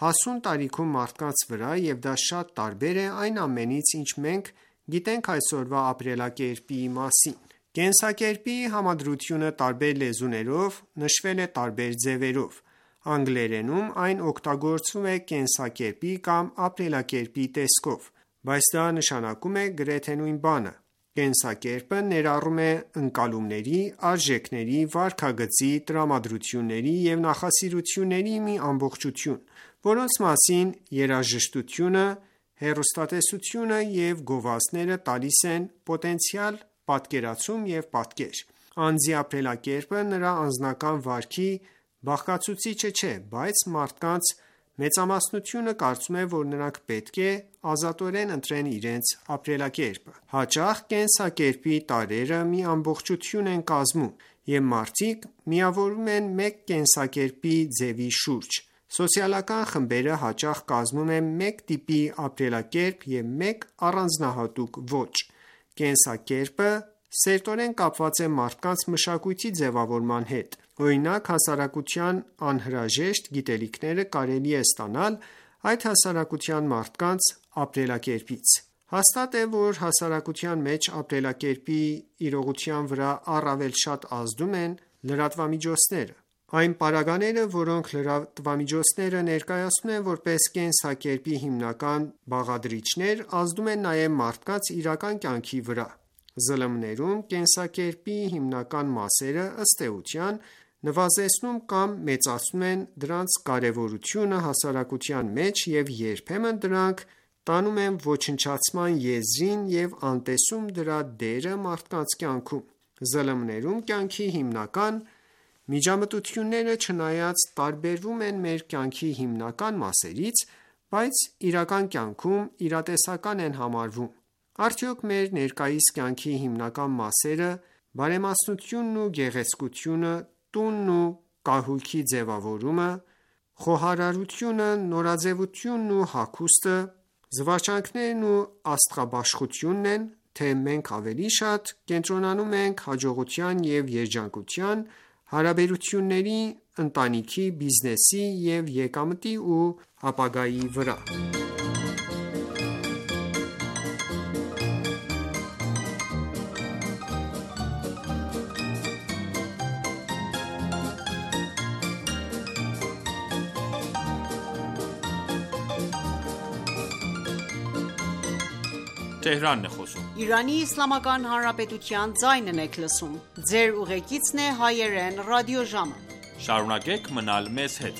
հասուն տարիքում մարդկանց վրա, և դա շատ տարբեր է այն ամենից, ինչ մենք գիտենք այսօրվա ապրելակերպի մասին։ Կենսակերպի համադրությունը տարբեր լեզուներով նշվել է տարբեր ձևերով։ Անգլերենում այն օգտագործվում է կենսակերպի կամ ապրելակերպի տեսքով, բայց դա նշանակում է գրեթե նույն բանը։ Կենսակերպը ներառում է ընկալումների, արժեքների, վարքագծի, տրամադրությունների և նախասիրությունների մի ամբողջություն, որոնց մասին երաժշտությունը, հեռուստատեսությունը և գովազդները տալիս են պոտենցիալ պատկերացում և պատկեր։ Անձի ապրելակերպը նրա անձնական վարքի բաղկացուցիչը չէ, բայց մարդկանց Մեծամասնությունը կարծում է, որ նրանք պետք է ազատորեն ընտրեն իրենց ապրելակերպը։ Հաճախ կենսակերպի տարրերը մի ամբողջություն են կազմում, և մարդիկ միավորվում են մեկ կենսակերպի ձևի շուրջ։ Սոցիալական խմբերը հաճախ կազմում են մեկ տիպի ապրելակերպ և մեկ առանձնահատուկ ոճ։ Կենսակերպը սերտորեն կապված է մարդկանց մշակույթի ձևավորման հետ։ Օրինակ, հասարակության անհրաժեշտ գիտելիքները կարելի է ստանալ այդ հասարակության մարդկանց ապրելակերպից։ Հաստատ է, որ հասարակության մեջ ապրելակերպի իրողության վրա առավել շատ ազդում են լրատվամիջոցները։ Այն պարագաները, որոնք լրատվամիջոցները ներկայացնում են որպես կենսակերպի հիմնական բաղադրիչներ, ազդում են նաև մարդկանց իրական կյանքի վրա։ ԶԼՄ-ներում կենսակերպի հիմնական մասերը, ըստ էության, նվազեցնում կամ մեծացնում են դրանց կարևորությունը հասարակության մեջ և երբեմն դրանք տանում են ոչնչացման եզրին և անտեսում դրա դերը մարդկանց կյանքում։ ԶԼՄ-ներում կյանքի հիմնական միջամտությունները չնայած տարբերվում են մեր կյանքի հիմնական մասերից, բայց իրական կյանքում իրատեսական են համարվում։ Արդյոք մեր ներկայիս կյանքի հիմնական մասերը՝ բարեմասնությունն ու գեղեցկությունը, տունն ու կահույքի ձևավորումը, խոհարարությունը, նորաձևությունն ու հագուստը, զվարճանքներն ու աստղաբաշխությունն են, թե մենք ավելի շատ կենտրոնանում ենք հաջողության և երջանկության, հարաբերությունների, ընտանիքի, բիզնեսի և եկամտի ու ապագայի վրա։ Շարունակեք մնալ մեզ հետ։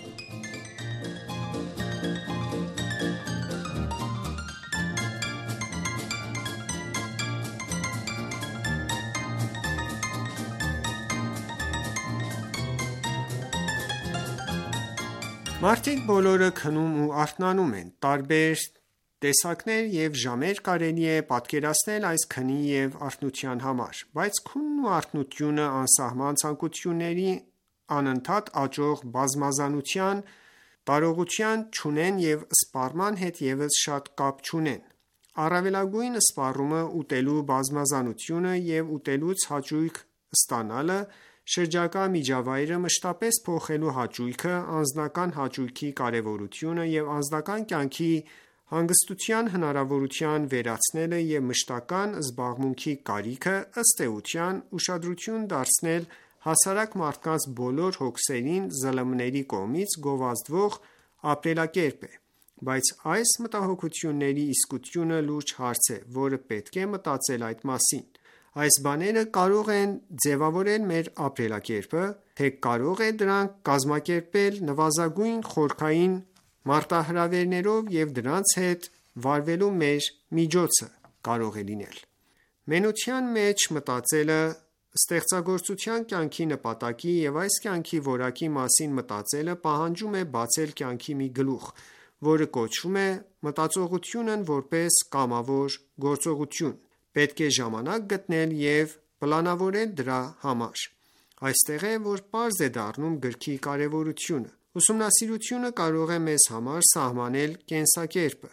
Մարդիկ բոլորը քնում ու արթնանում են։ Տարբեր տեսակներ և ժամեր կարելի է պատկերացնել այս քնի և արթնության համար, բայց քունն ու արթնությունը անսահման ցանկությունների անընդհատ աճող բազմազանության տարողություն չունեն և սպառման հետ ևս շատ կապ չունեն։ Առավելագույն սպառումը ուտելու բազմազանությունը և ուտելուց հաճույք ստանալը, շրջակա միջավայրը մշտապես փոխելու հաճույքը, անձնական հաճույքի կարևորությունը և անձնական կյանքի հանգստության հնարավորության վերացնելը և մշտական զբաղմունքի կարիքը, ըստ էության, ուշադրություն դարձնել հասարակ մարդկանց բոլոր հոգսերին ԶԼՄ-ների կողմից գովազդվող ապրելակերպ է։ Բայց այս մտահոգությունների իսկությունը լուրջ հարց է, որը պետք է մտածել այդ մասին։ Այս բաները կարող են ձևավորել մեր ապրելակերպը, թե կարող է դրանք կազմակերպել նվազագույն խորքային մարտահրավերներով և դրանց հետ վարվելու մեր միջոցը կարող է լինել։ Մենության մեջ մտածելը, ստեղծագործության կյանքի նպատակի և այս կյանքի որակի մասին մտածելը պահանջում է բացել կյանքի մի գլուխ, որը կոչվում է մտածողությունն որպես կամավոր գործողություն։ Պետք է ժամանակ գտնել և պլանավորել դրա համար։ Այստեղ է, որ պարզ է դառնում գրքի կարևորությունը։ Ուսումնասիրությունը կարող է մեզ համար սահմանել կենսակերպը։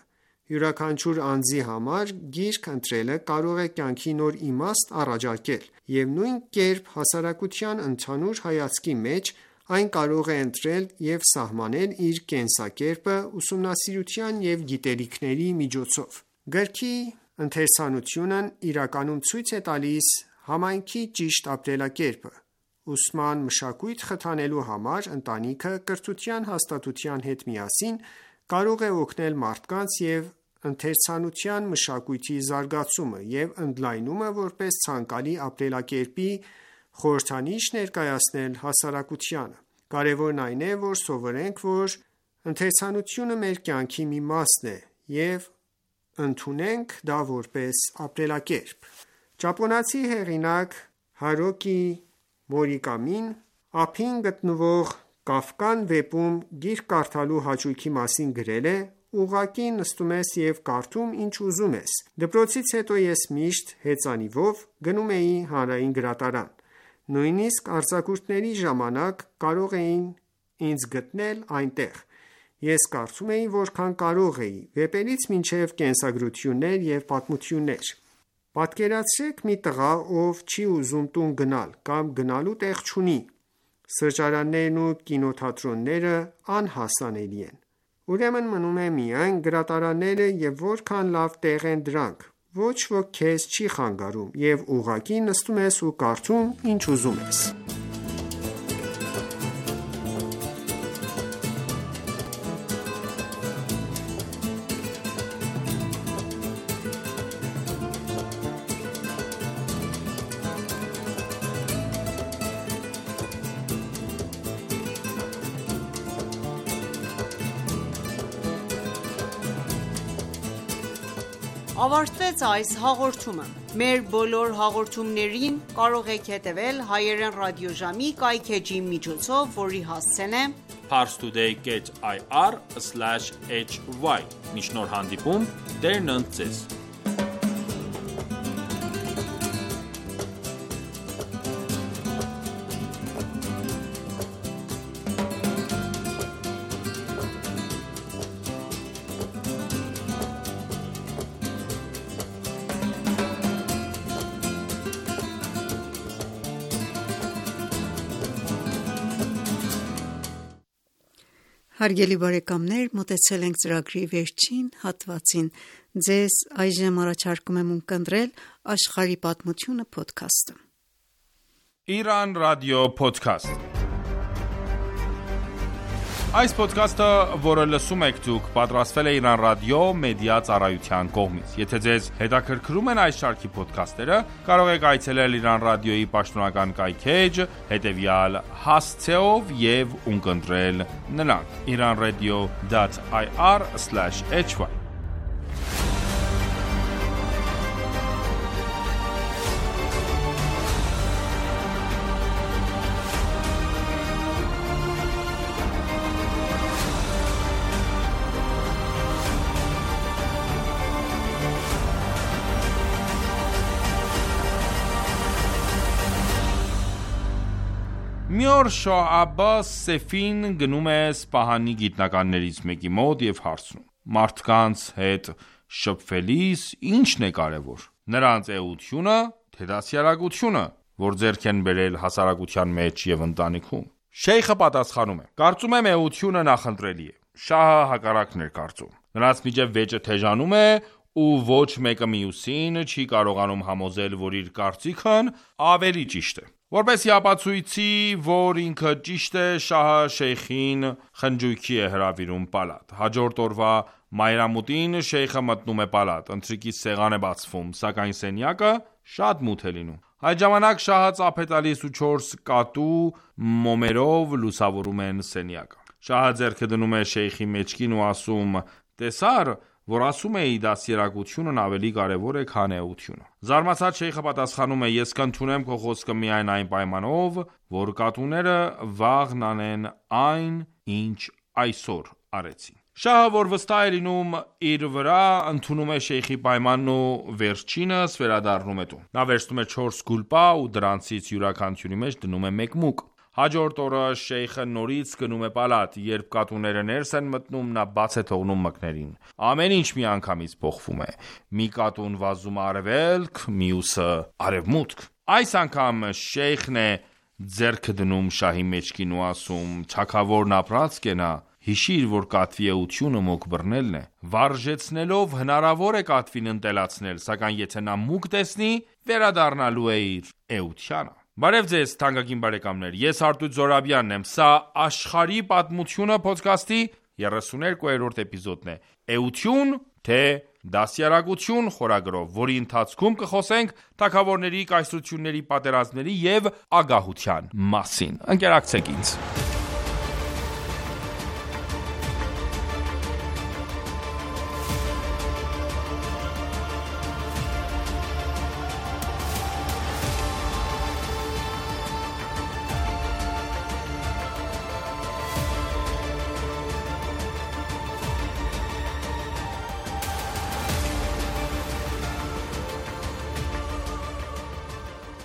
Յուրաքանչյուր անձի համար գիրք ընտրելը կարող է կյանքի նոր իմաստ առաջարկել, և նույն կերպ հասարակության ընդհանուր հայացքի մեջ այն կարող է ընտրել և սահմանել իր կենսակերպը ուսումնասիրության և գիտելիքների միջոցով։ Գրքի ընթերցանությունն իրականում ցույց է տալիս համայնքի ճիշտ ապրելակերպը։ Ուսման մշակույթ խթանելու համար ընտանիքը կրթության հաստատության հետ միասին կարող է օգնել մարդկանց և ընթերցանության մշակույթի զարգացումը և ընդլայնումը որպես ցանկալի ապրելակերպի խորհրդանիշ ներկայացնել հասարակությանը։ Կարևորն այն է, որ սովորենք, որ ընթերցանությունը մեր կյանքի մի մասն է և ընդունենք դա որպես ապրելակերպ։ Ճապոնացի հեղինակ Հարուկի Մուրակամին ափին գտնվող Կաֆկան վեպում գիրք կարդալու հաճույքի մասին գրել է. «Ուղղակի նստում ես և կարդում ինչ ուզում ես։ Դպրոցից հետո ես միշտ հեծանիվով գնում էի հանրային գրադարան։ Նույնիսկ արձակուրդների ժամանակ կարող էին ինձ գտնել այնտեղ։ Ես կարդում էի որքան կարող էի, վեպերից մինչև կենսագրություններ և պատմություններ։ Պատկերացրեք մի տղա, ով չի ուզում տուն գնալ կամ գնալու տեղ չունի։ Սրճարաններն ու կինոթատրոնները անհասանելի են։ Ուրեմն մնում է միայն գրադարանները և որքան լավ տեղ են դրանք։ Ոչ ոք քեզ չի խանգարում և ուղղակի նստում ես ու կարդում ինչ ուզում ես»։ Ավարտվեց այս հաղորդումը։ Մեր բոլոր հաղորդումներին կարող եք հետևել հայերեն ռադիոժամի կայքէջի միջոցով, որի հասցեն է parstoday.ir/hy։ Մինչ նոր հանդիպում, Տերն ընդ ձեզ։ Հարգելի բարեկամներ, մոտեցել ենք ծրագրի վերջին հատվածին։ Ձեզ այժմ առաջարկում եմ ունկնդրել Աշխարհի պատմությունը փոդքասթը։ Իրան ռադիո փոդքասթ։ Այս փոդքասթը, որը լսում եք դուք, պատրաստվել է Իրան ռադիո մեդիա ծառայության կողմից։ Եթե ձեզ հետաքրքրում են այս շարքի փոդքասթերը, կարող եք այցելել Իրան ռադիոյի պաշտոնական կայքէջ, հետևյալ հասցեով եւ ունկնդրել նրանք. iranradio.ir/hy։ Մի օր Շահ Աբբաս Սեֆին գնում է Սպահանի գիտնականներից մեկի մոտ և հարցնում. մարդկանց հետ շփվելիս ի՞նչն է կարևոր: Նրանց էությունը, թե դաստիարակությունը, որ ձեռք են բերել հասարակության մեջ և ընտանիքում: Շեյխը պատասխանում է. կարծում եմ էությունը նախընտրելի է: Շահը հակառակն էր կարծում: Նրանց միջև վեճը թեժանում է ու ոչ մեկը մյուսին չի կարողանում համոզել, որ իր կարծիքն ավելի ճիշտ է: Որպեսզի ապացույցի, որ ինքը ճիշտ է, Շահը Շեյխին խնջույքի է հրավիրում պալատ: Հաջորդ օրվա մայրամուտին Շեյխը մտնում է պալատ: Ընթրիքի սեղան է բացվում, սակայն սենյակը շատ մութ է լինում: Այդ ժամանակ Շահը ծափ է տալիս ու 4 կատու մոմերով լուսավորում են սենյակը: Շահը ձեռքը դնում է Շեյխի մեջքին ու ասում. տեսա՞ր, որ ասում էի դաստիարակությունն ավելի կարևոր է, քան էությունը: Զարմացած Շեյխը պատասխանում է. ես կընդունեմ քո խոսքը միայն այն պայմանով, որ կատուները վաղն անեն այն, ինչ այսօր արեցին: Շահը, որ վստահ է լինում իր վրա, ընդունում է Շեյխի պայմանն ու վերջինս վերադառնում է տուն: Նա վերցնում է 4 գուլպա ու դրանցից յուրաքանչյուրի մեջ դնում է 1 մուկ: Հաջորդ օրը Շեյխը նորից գնում է պալատ: Երբ կատուները ներս են մտնում, նա բաց է թողնում մկներին: Ամեն ինչ միանգամից փոխվում է: Մի կատուն վազում է արևելք, մյուսը արևմուտք: Այս անգամ Շեյխն է ձեռքը դնում Շահի մեջքին ու ասում. թագավորն ապրած կենա, հիշիր, որ կատվի էությունը մուկ բռնելն է: Վարժեցնելով հնարավոր է կատվին ընտելացնել, սակայն եթե նա մուկ տեսնի, վերադառնալու է իր էությանը: Բարև ձեզ թանկագին բարեկամներ, ես Արտույտ Զոհրաբյանն եմ, սա Աշխարհի պատմությունը փոդքասթի 32-րդ էպիզոդն է, էություն, թե դաստիարակություն խորագրով, որի ընթացքում կխոսենք թագավորների, կայսրությունների, պատերազմների և ագահության մասին: Ընկերակցեք ինձ: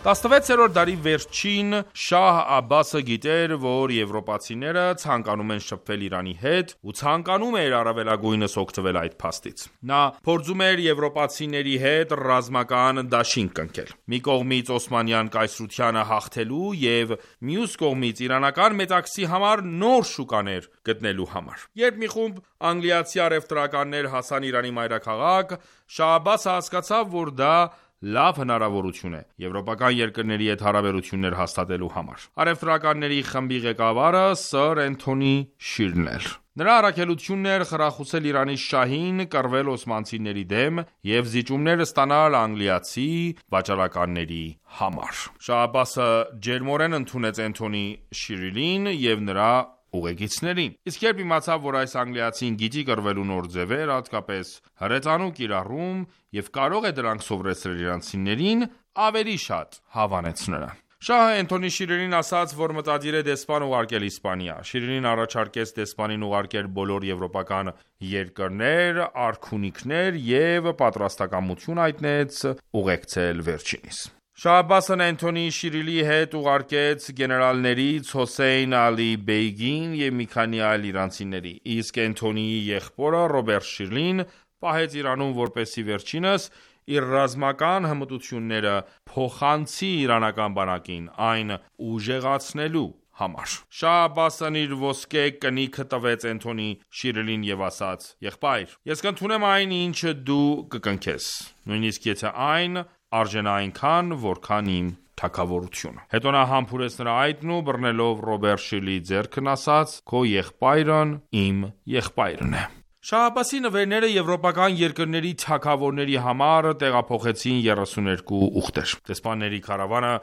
16-րդ դարի վերջին Շահ Աբբասը գիտեր, որ եվրոպացիները ցանկանում են շփվել Իրանի հետ ու ցանկանում էր առավելագույնս օգտվել այդ փաստից։ Նա փորձում էր եվրոպացիների հետ ռազմական դաշինք կնքել։ Մի կողմից Օսմանյան կայսրությանը հաղթելու եւ մյուս կողմից իրանական մետաքսի համար նոր շուկաներ գտնելու համար։ Երբ մի խումբ անգլիացի առևտրականներ հասան Իրանի մայրաքաղաք, Շահ Աբբասը հասկացավ, որ դա լավ հնարավորություն է եվրոպական երկրների հետ հարաբերություններ հաստատելու համար։ Առևտրականների խմբի ղեկավարը Սըր Էնթոնի Շիրլն էր։ Նրա առաքելությունն էր խրախուսել Իրանի շահին կռվել օսմանցիների դեմ եւ զիջումներ ստանալ անգլիացի վաճառականների համար։ Շահ Աբբասը ջերմորեն ընդունեց Էնթոնի Շիրլին եւ նրա ուղեկիցներին։ Իսկ երբ իմացավ, որ այս անգլիացին գիտի կռվելու նոր ձևեր, հատկապես հրետանու կիրառում եւ կարող է դրանք սովորեցնել իրանցիներին, ավելի շատ հավանեց նրան։ Շահը Էնթոնի Շիրլին ասաց, որ մտադիր է դեսպան ուղարկել Իսպանիա։ Շիրլին առաջարկեց դեսպանին ուղարկել բոլոր եվրոպական երկրներ, արքունիքներ եւ պատրաստակամություն հայտնեց ուղեկցել վերջինիս։ Շահ Աբբասն Էնթոնի Շիրլի հետ ուղարկեց գեներալներից Հոսեյն Ալի Բեյգին եւ մի քանի այլ իրանցիների, իսկ Էնթոնիի եղբորը Ռոբերտ Շիրլին պահեց Իրանում, որպեսզի վերջինս իր ռազմական հմտությունները փոխանցի իրանական բանակին, այն ուժեղացնելու համար։ Շահ Աբբասն իր ոսկե կնիքը տվեց Էնթոնի Շիրլին եւ ասաց. «Եղբայր, ես կընդունեմ այն, ինչ դու կկնքես, նույնիսկ եթե այն արժենա այնքան, որքան իմ թագավորությունը»։ Հետո նա համբուրեց նրա այտն ու բռնելով Ռոբերտ Շիրլիի ձեռքն ասաց. «Քո եղբայրն իմ եղբայրն է»։ Շահ Աբբասի նվերները եվրոպական երկրների թագավորների համար տեղափոխեցին 32 ուխտեր։ Դեսպանների քարավանը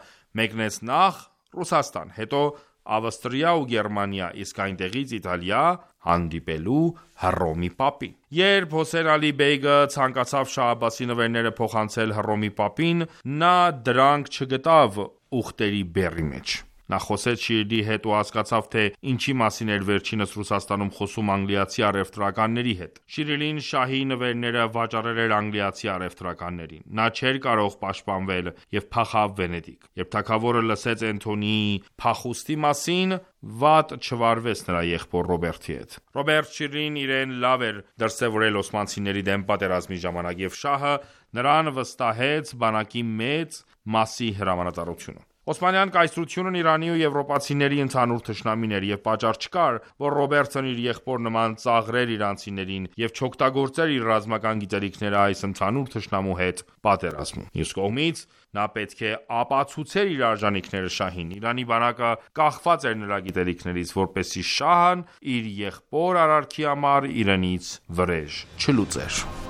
մեկնեց նախ Ռուսաստան, հետո Ավստրիա ու Գերմանիա, իսկ այնտեղից Իտալիա հանդիպելու Հռոմի պապին։ Երբ Հոսեյն Ալի Բեյգը ցանկացավ Շահ Աբբասի նվերները փոխանցել Հռոմի պապին, նա դրանք չգտավ ուխտերի բեռի մեջ։ Նա խոսեց Շիրլի հետ ու հասկացավ, թե ինչի մասին էր վերջինս Ռուսաստանում խոսում անգլիացի առևտրականների հետ։ Շիրլին շահի նվերները վաճառել էր անգլիացի առևտրականներին։ Նա չէր կարող պաշտպանվել եւ փախավ Վենետիկ։ Երբ թագավորը լսեց Էնթոնիի փախուստի մասին, վատ չվարվեց նրա եղբոր Ռոբերտի հետ։ Ռոբերտ Շիրլին իրեն լավ էր դրսևորել օսմանցիների դեմ պատերազմի ժամանակ եւ շահը նրան վստահեց բանակի մեծ մասի հրամանատարությունը։ Օսմանյան կայսրությունն Իրանի ու եվրոպացիների ընդհանուր թշնամին էր եւ պատճառ չկար, որ Ռոբերտն իր եղբոր նման ծաղրեր իրանցիներին եւ չօգտագործեր իր ռազմական գիտելիքները այս ընդհանուր թշնամու հետ պատերազմում։ Մյուս կողմից, նա պետք է ապացուցեր իր արժանինքները շահին։ Իրանի բանակը կախված էր նրա գիտելիքներից, որպեսզի շահն իր եղբոր արարքի համար իրենից վրեժ չլուծեր։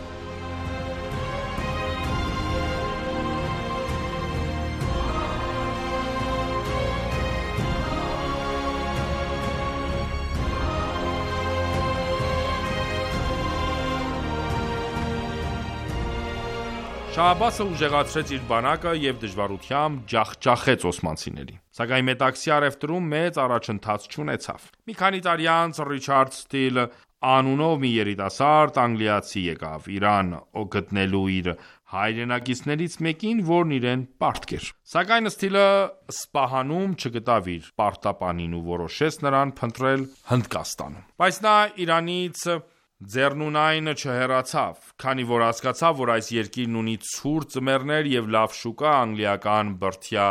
Շահ Աբբասը ուժեղացրեց իր բանակը եւ դժվարությամբ ջախջախեց օսմանցիներին։ Սակայն մետաքսի առևտրում մեծ առաջընթաց չունեցավ։ Մի քանի տարի անց Ռիչարդ Ստիլ անունով մի երիտասարդ անգլիացի եկավ Իրան գտնելու իր հայրենակիցներից մեկին, որն իրեն պարտքեր։ Սակայն Ստիլը Սպահանում չգտավ իր պարտապանին ու որոշեց նրան փնտրել Հնդկաստանում։ Բայց նա Իրանից ձեռնունայն չհեռացավ, քանի որ հասկացավ, որ այս երկիրն ունի ցուրտ ձմեռներ եւ լավ շուկա անգլիական բրդյա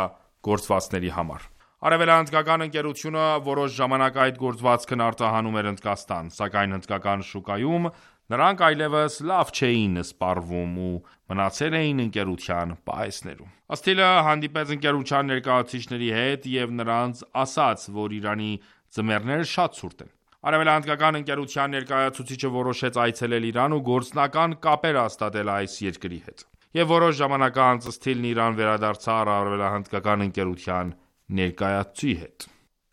գործվածքների համար։ Արևելահնդկական ընկերությունը որոշ ժամանակ այդ գործվածքն արտահանում էր Հնդկաստան, սակայն հնդկական շուկայում նրանք այլևս լավ չէին սպառվում ու մնացել էին ընկերության պահեսներում։ Ստիլը հանդիպեց ընկերության ներկայացուցիչների հետ եւ նրանց ասաց, որ Իրանի ձմեռները շատ ցուրտ են։ Արևելահնդկական ընկերության ներկայացուցիչը որոշեց այցելել Իրան ու գործնական կապեր հաստատել այս երկրի հետ։ Եվ որոշ ժամանակ անց Ստիլն Իրան վերադարձավ արևելահնդկական ընկերության ներկայացուցի հետ։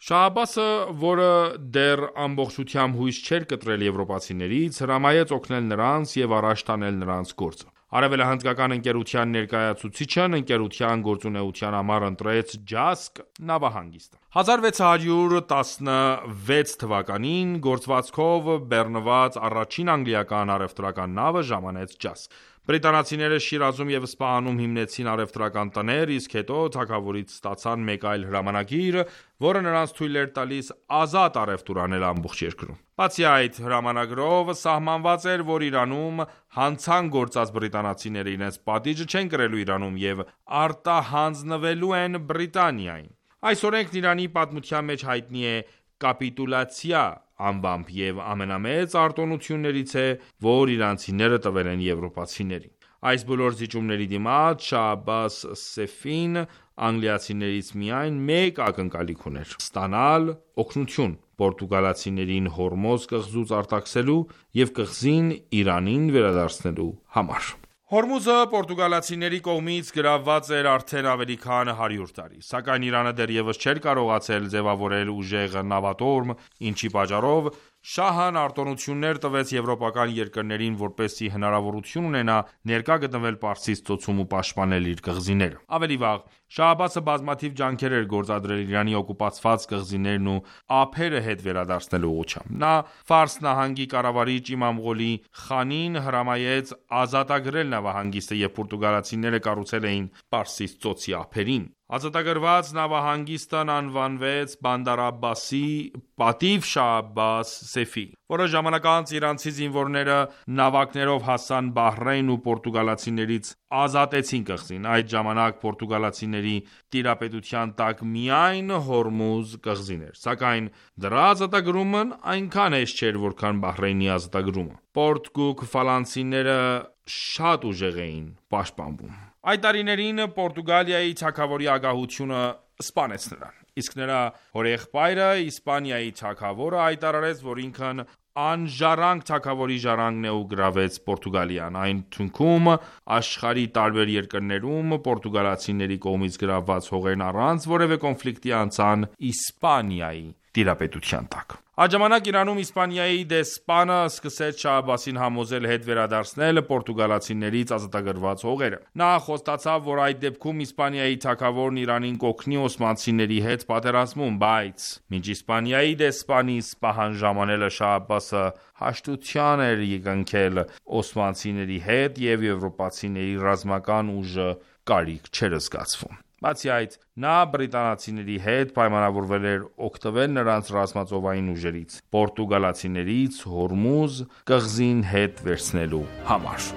Շահ Աբբասը, որը դեռ ամբողջությամբ հույս չէր կտրել եվրոպացիներից, հրամայեց օգնել նրանց եւ առաջ տանել նրանց գործը։ Արևելահնդկական ընկերության ներկայացուցիչն ընկերության գործունեության համար ընտրեց Ջասկ նավահանգիստը։ 1616 թվականին գործվածքով բեռնված առաջին անգլիական առևտրական նավը ժամանեց ջազ։ Բրիտանացիները Շիրազում և Սպահանում հիմնեցին առևտրական տներ, իսկ հետո թագավորից ստացան մեկ այլ հրամանագիր, որը նրանց թույլ էր տալիս ազատ առևտուր անել ամբողջ երկրում։ Բացի այդ հրամանագրով սահմանված էր, որ Իրանում հանցանք գործած բրիտանացիները իրենց պատիժը չեն կրելու Իրանում և արտահանձնվելու են Բրիտանիային։ Այս օրենքն Իրանի պատմության մեջ հայտնի է կապիտուլյացիա անվամբ և ամենամեծ արտոնություններից է, որ իրանցիները տվել են եվրոպացիներին։ Այս բոլոր զիջումների դիմաց Շահ Աբբաս Սեֆին անգլիացիներից միայն մեկ ակնկալիք ուներ՝ ստանալ օգնություն պորտուգալացիներին Հորմոզ կղզուց արտաքսելու և կղզին Իրանին վերադարձնելու համար։ Հորմուզը պորտուգալացիների կողմից գրավված էր արդեն ավելի քան 100 տարի, սակայն Իրանը դեռևս չէր կարողացել ձևավորել ուժեղ նավատորմ, ինչի պատճառով շահն արտոնություններ տվեց եվրոպական երկրներին, որպեսզի հնարավորություն ունենա ներկա գտնվել Պարսից ծոցում ու պաշտպանել իր կղզիները։ Ավելի վաղ Շահ Աբբասը բազմաթիվ ջանքեր էր գործադրել Իրանի օկուպացված կղզիներն ու ափերը հետ վերադարձնելու ուղղությամբ։ Նա Ֆարս նահանգի կառավարիչ Իմամ Ղոլի Խանին հրամայեց ազատագրել նավահանգիստը, և պորտուգալացիները կառուցել էին Պարսից ծոցի ափերին։ Ազատագրված նավահանգիստն անվանվեց Բանդար Աբբասի պատիվ Շահ Աբբաս Սեֆի։ Որոշ ժամանակ անց իրանցի զինվորները նավակներով հասան Բահրեյն ու պորտուգալացիներից ազատեցին կղզին։ Այդ ժամանակ պորտուգալացիների տիրապետության տակ միայն Հորմուզ կղզին էր, սակայն դրա ազատագրումն այնքան հեշտ չէր, որքան Բահրեյնի ազատագրումը։ Պորտուգալացիները շատ ուժեղ էին պաշտպանվում։ Այդ տարիներին Պորտուգալիայի թագավորի ագահությունը սպանեց նրան, իսկ նրա հորեղբայրը Իսպանիայի թագավորը հայտարարեց, որ ինքն անժառանգ թագավորի ժառանգն է ու գրավեց Պորտուգալիան։ Այն թունքում աշխարհի տարբեր երկրներում պորտուգալացիների կողմից գրավված հողերն առանց որևէ կոնֆլիկտի անցան Իսպանիայի տիրապետության տակ։ Այդ ժամանակ Իրանում Իսպանիայի դեսպանը սկսեց Շահ Աբբասին համոզել հետ վերադարձնել պորտուգալացիներից ազատագրված հողերը։ Նա խոստացավ, որ այդ դեպքում Իսպանիայի թագավորն Իրանին կօգնի օսմանցիների հետ պատերազմում, բայց մինչ Իսպանիայի դեսպանի պահանջ ժամանելը Շահ Աբբասը հաշտության էր եկնքել օսմանցիների հետ և եվրոպացիների ռազմական ուժը կարիք չէր զգացվում։ Բացի այդ, նա բրիտանացիների հետ պայմանավորվել էր օգտվել նրանց ռազմածովային ուժերից պորտուգալացիներից Հորմուզ կղզին հետ վերցնելու համար։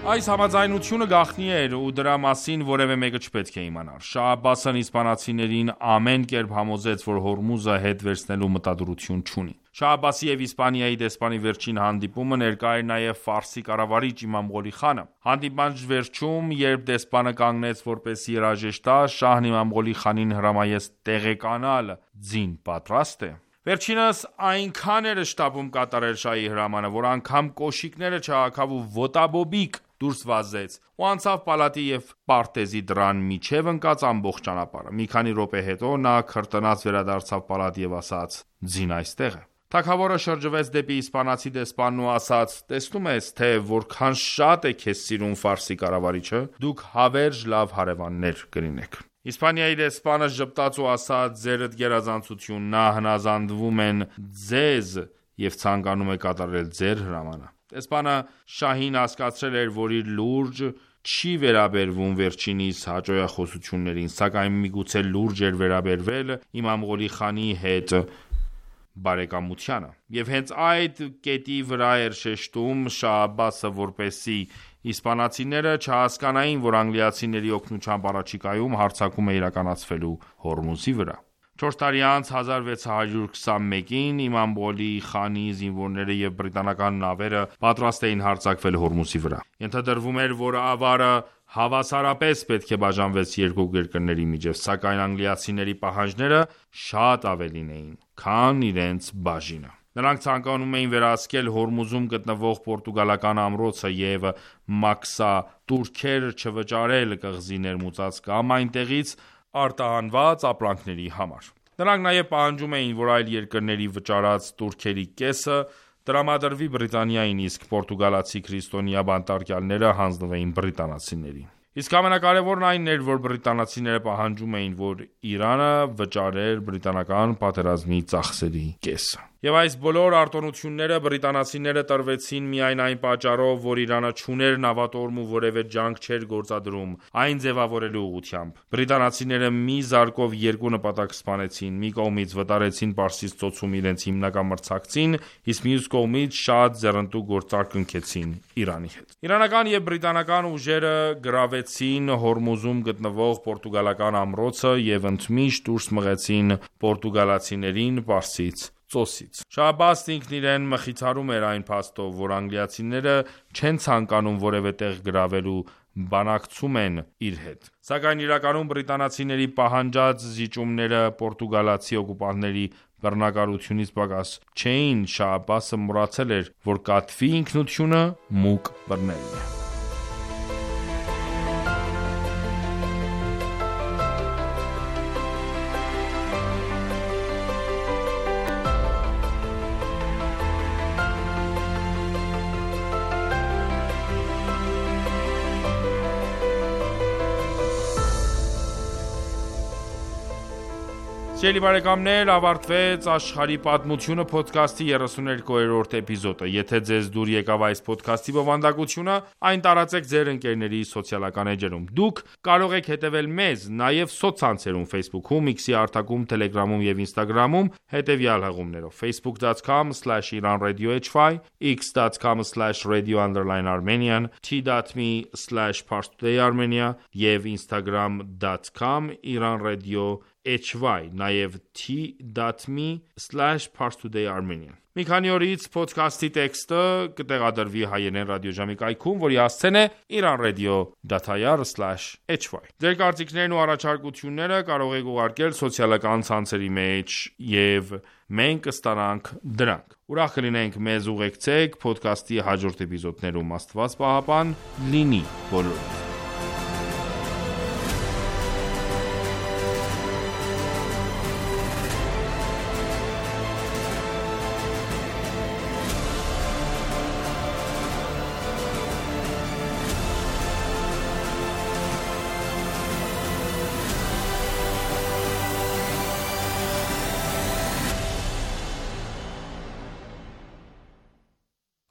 Այս համաձայնությունը գաղտնի էր ու դրա մասին որևէ մեկը չպետք է իմանար։ Շահ Աբբասն իսպանացիներին ամեն կերպ համոզեց, որ Հորմուզը հետ վերցնելու մտադրություն չունի։ Շահ Աբբասի և Իսպանիայի դեսպանի վերջին հանդիպումը ներկա էր նաև Ֆարսի կառավարիչ Իմամ Ղոլի Խանը։ Հանդիպման վերջում, երբ դեսպանը կանգնեց որպեսզի երաժշտ տա, շահն Իմամ Ղոլի Խանին հրամայեց տեղեկանալ ձին պատրաստ է։ Վերջինս այնքան էր շտապում կատարել շահի հրամանը, որ անգամ կոշիկները չհագավ ու ոտաբոբիկ դուրս վազեց ու անցավ պալատի և պարտեզի դռան միջև ընկած ամբողջ ճանապարհը։ Մի քանի րոպե հետո նա քրտնած վերադարձավ պալատ և ասաց. «Ձին այստեղ է»։ Թագավորը շրջվեց դեպի իսպանացի դեսպանն ու ասաց. «Տեսնում ես, թե որքան շատ է քեզ սիրում Ֆարսի կառավարիչը, դուք հավերժ լավ հարևաններ կլինեք»։ Իսպանիայի դեսպանը ժպտաց ու ասաց. «Ձերդ գերազանցություն, նա հնազանդվում են ձեզ և ցանկանում է կատարել ձեր հրամանը»։ Դեսպանը շահին հասկացրել էր, որ իր լուրջ չի վերաբերվում վերջինիս հաճոյախոսություններին, սակայն միգուցե լուրջ էր վերաբերվել Իմամ Ղոլի Խանի հետ բարեկամությանը։ Եվ հենց այդ կետի վրա էր շեշտում Շահ Աբբասը, որպեսզի իսպանացիները չհասկանային, որ անգլիացիների օգնությամբ առաջիկայում հարձակում է իրականացվելու Հորմուզի վրա։ 4 տարի անց 1621-ին Իմամ Ղոլի Խանի զինվորները և բրիտանական նավերը պատրաստ էին հարձակվել Հորմուզի վրա։ Ենթադրվում էր, որ ավարը հավասարապես պետք է բաժանվեց երկու երկրների միջև, սակայն անգլիացիների պահանջները շատ ավելին էին, քան իրենց բաժինը։ Նրանք ցանկանում էին վերահսկել Հորմուզում գտնվող պորտուգալական ամրոցը և մաքսատուրքեր չվճարել կղզի ներմուծած կամ այնտեղից արտահանված ապրանքների համար։ Նրանք նաև պահանջում էին, որ այլ երկրների վճարած տուրքերի կեսը տրամադրվի Բրիտանիային, իսկ պորտուգալացի քրիստոնյա բանտարկյալները հանձնվեին բրիտանացիներին։ Իսկ ամենակարևորն այն էր, որ բրիտանացիները պահանջում էին, որ Իրանը վճարեր բրիտանական պատերազմի ծախսերի կեսը։ Եվ այս բոլոր արտոնությունները բրիտանացիները տրվեցին միայն այն պատճառով, որ Իրանը չուներ նավատորմ ու որևէ ջանք չէր գործադրում այն ձևավորելու ուղղությամբ։ Բրիտանացիները մի զարկով երկու նպատակ սպանեցին՝ մի կողմից վտարեցին Պարսից ծոցում իրենց հիմնական մրցակցին, իսկ մյուս կողմից շատ ձեռնտու գործարք կնքեցին Իրանի հետ։ Իրանական և բրիտանական ուժերը գրավեցին Հորմուզում գտնվող պորտուգալական ամրոցը և ընդմիշտ դուրս մղեցին պորտուգալացիներին Պարսից ծոցից։ Շահ Աբբասն ինքն իրեն մխիթարում էր այն փաստով, որ անգլիացիները չեն ցանկանում որևէ տեղ գրավել ու բանակցում են իր հետ։ Սակայն իրականում բրիտանացիների պահանջած զիջումները պորտուգալացի օկուպանտների բռնակալությունից պակաս չէին։ Շահ Աբբասը մոռացել էր, որ կատվի ինքնությունը մուկ բռնելն է։ Սիրելի բարեկամներ, ավարտվեց «Աշխարհի պատմությունը» փոդքասթի 32-րդ էպիզոդը։ Եթե ձեզ դուր եկավ այս փոդքասթի բովանդակությունը, այն տարածեք ձեր ընկերների սոցիալական էջերում։ Դուք կարող եք հետևել մեզ նաև սոցցանցերում Facebook-ում, X-ի հարթակում, Telegram-ում եւ Instagram-ում հետևյալ հղումներով՝ facebook.com/iranradiohy, x.com/radio_armenian, t.me/parstoday_armenia եւ instagram.com/iranradio նաև t.me/parstoday_armenian։ Մի քանի օրից փոդքասթի տեքստը կտեղադրվի հայերեն ռադիոժամի կայքում, որի հասցեն է iranradio.ir/hy։ Ձեր կարծիքներն ու առաջարկությունները կարող եք ուղարկել սոցիալական ցանցերի մեջ եւ մենք կստանանք դրանք։ Ուրախ կլինենք մեզ ուղեկցեք փոդքասթի հաջորդ էպիզոդներում։ Աստված պահապան լինի բոլորիդ։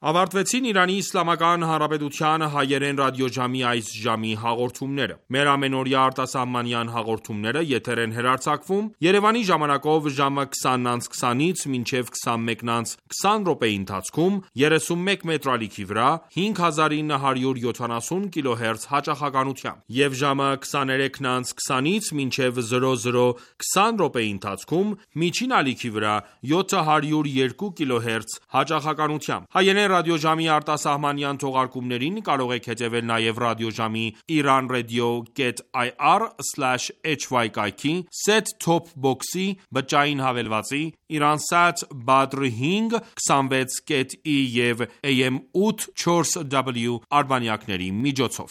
Ավարտվեցին Իրանի Իսլամական Հանրապետության հայերեն ռադիոժամի այս ժամի հաղորդումները։ Մեր ամենօրյա արտասահմանյան հաղորդումները եթեր են հեռարձակվում Երևանի ժամանակով ժամը 20:20-ից մինչև 21:20 րոպեի ընթացքում 31 մետրալիքի վրա 5970 կիլոհերց հաճախականությամբ եւ ժամը 23:20-ից մինչև 00:20 րոպեի ընթացքում միջին ալիքի վրա 702 կիլոհերց հաճախականությամբ։ Հայերեն ռադիոժամի արտասահմանյան թողարկումներին կարող եք հետևել նաև ռադիոժամի iranradio.ir/hy կայքի, set-top box-ի, բջջային հավելվածի, Iransat Badr 5 26.E եւ AM 8 4W արբանյակների միջոցով։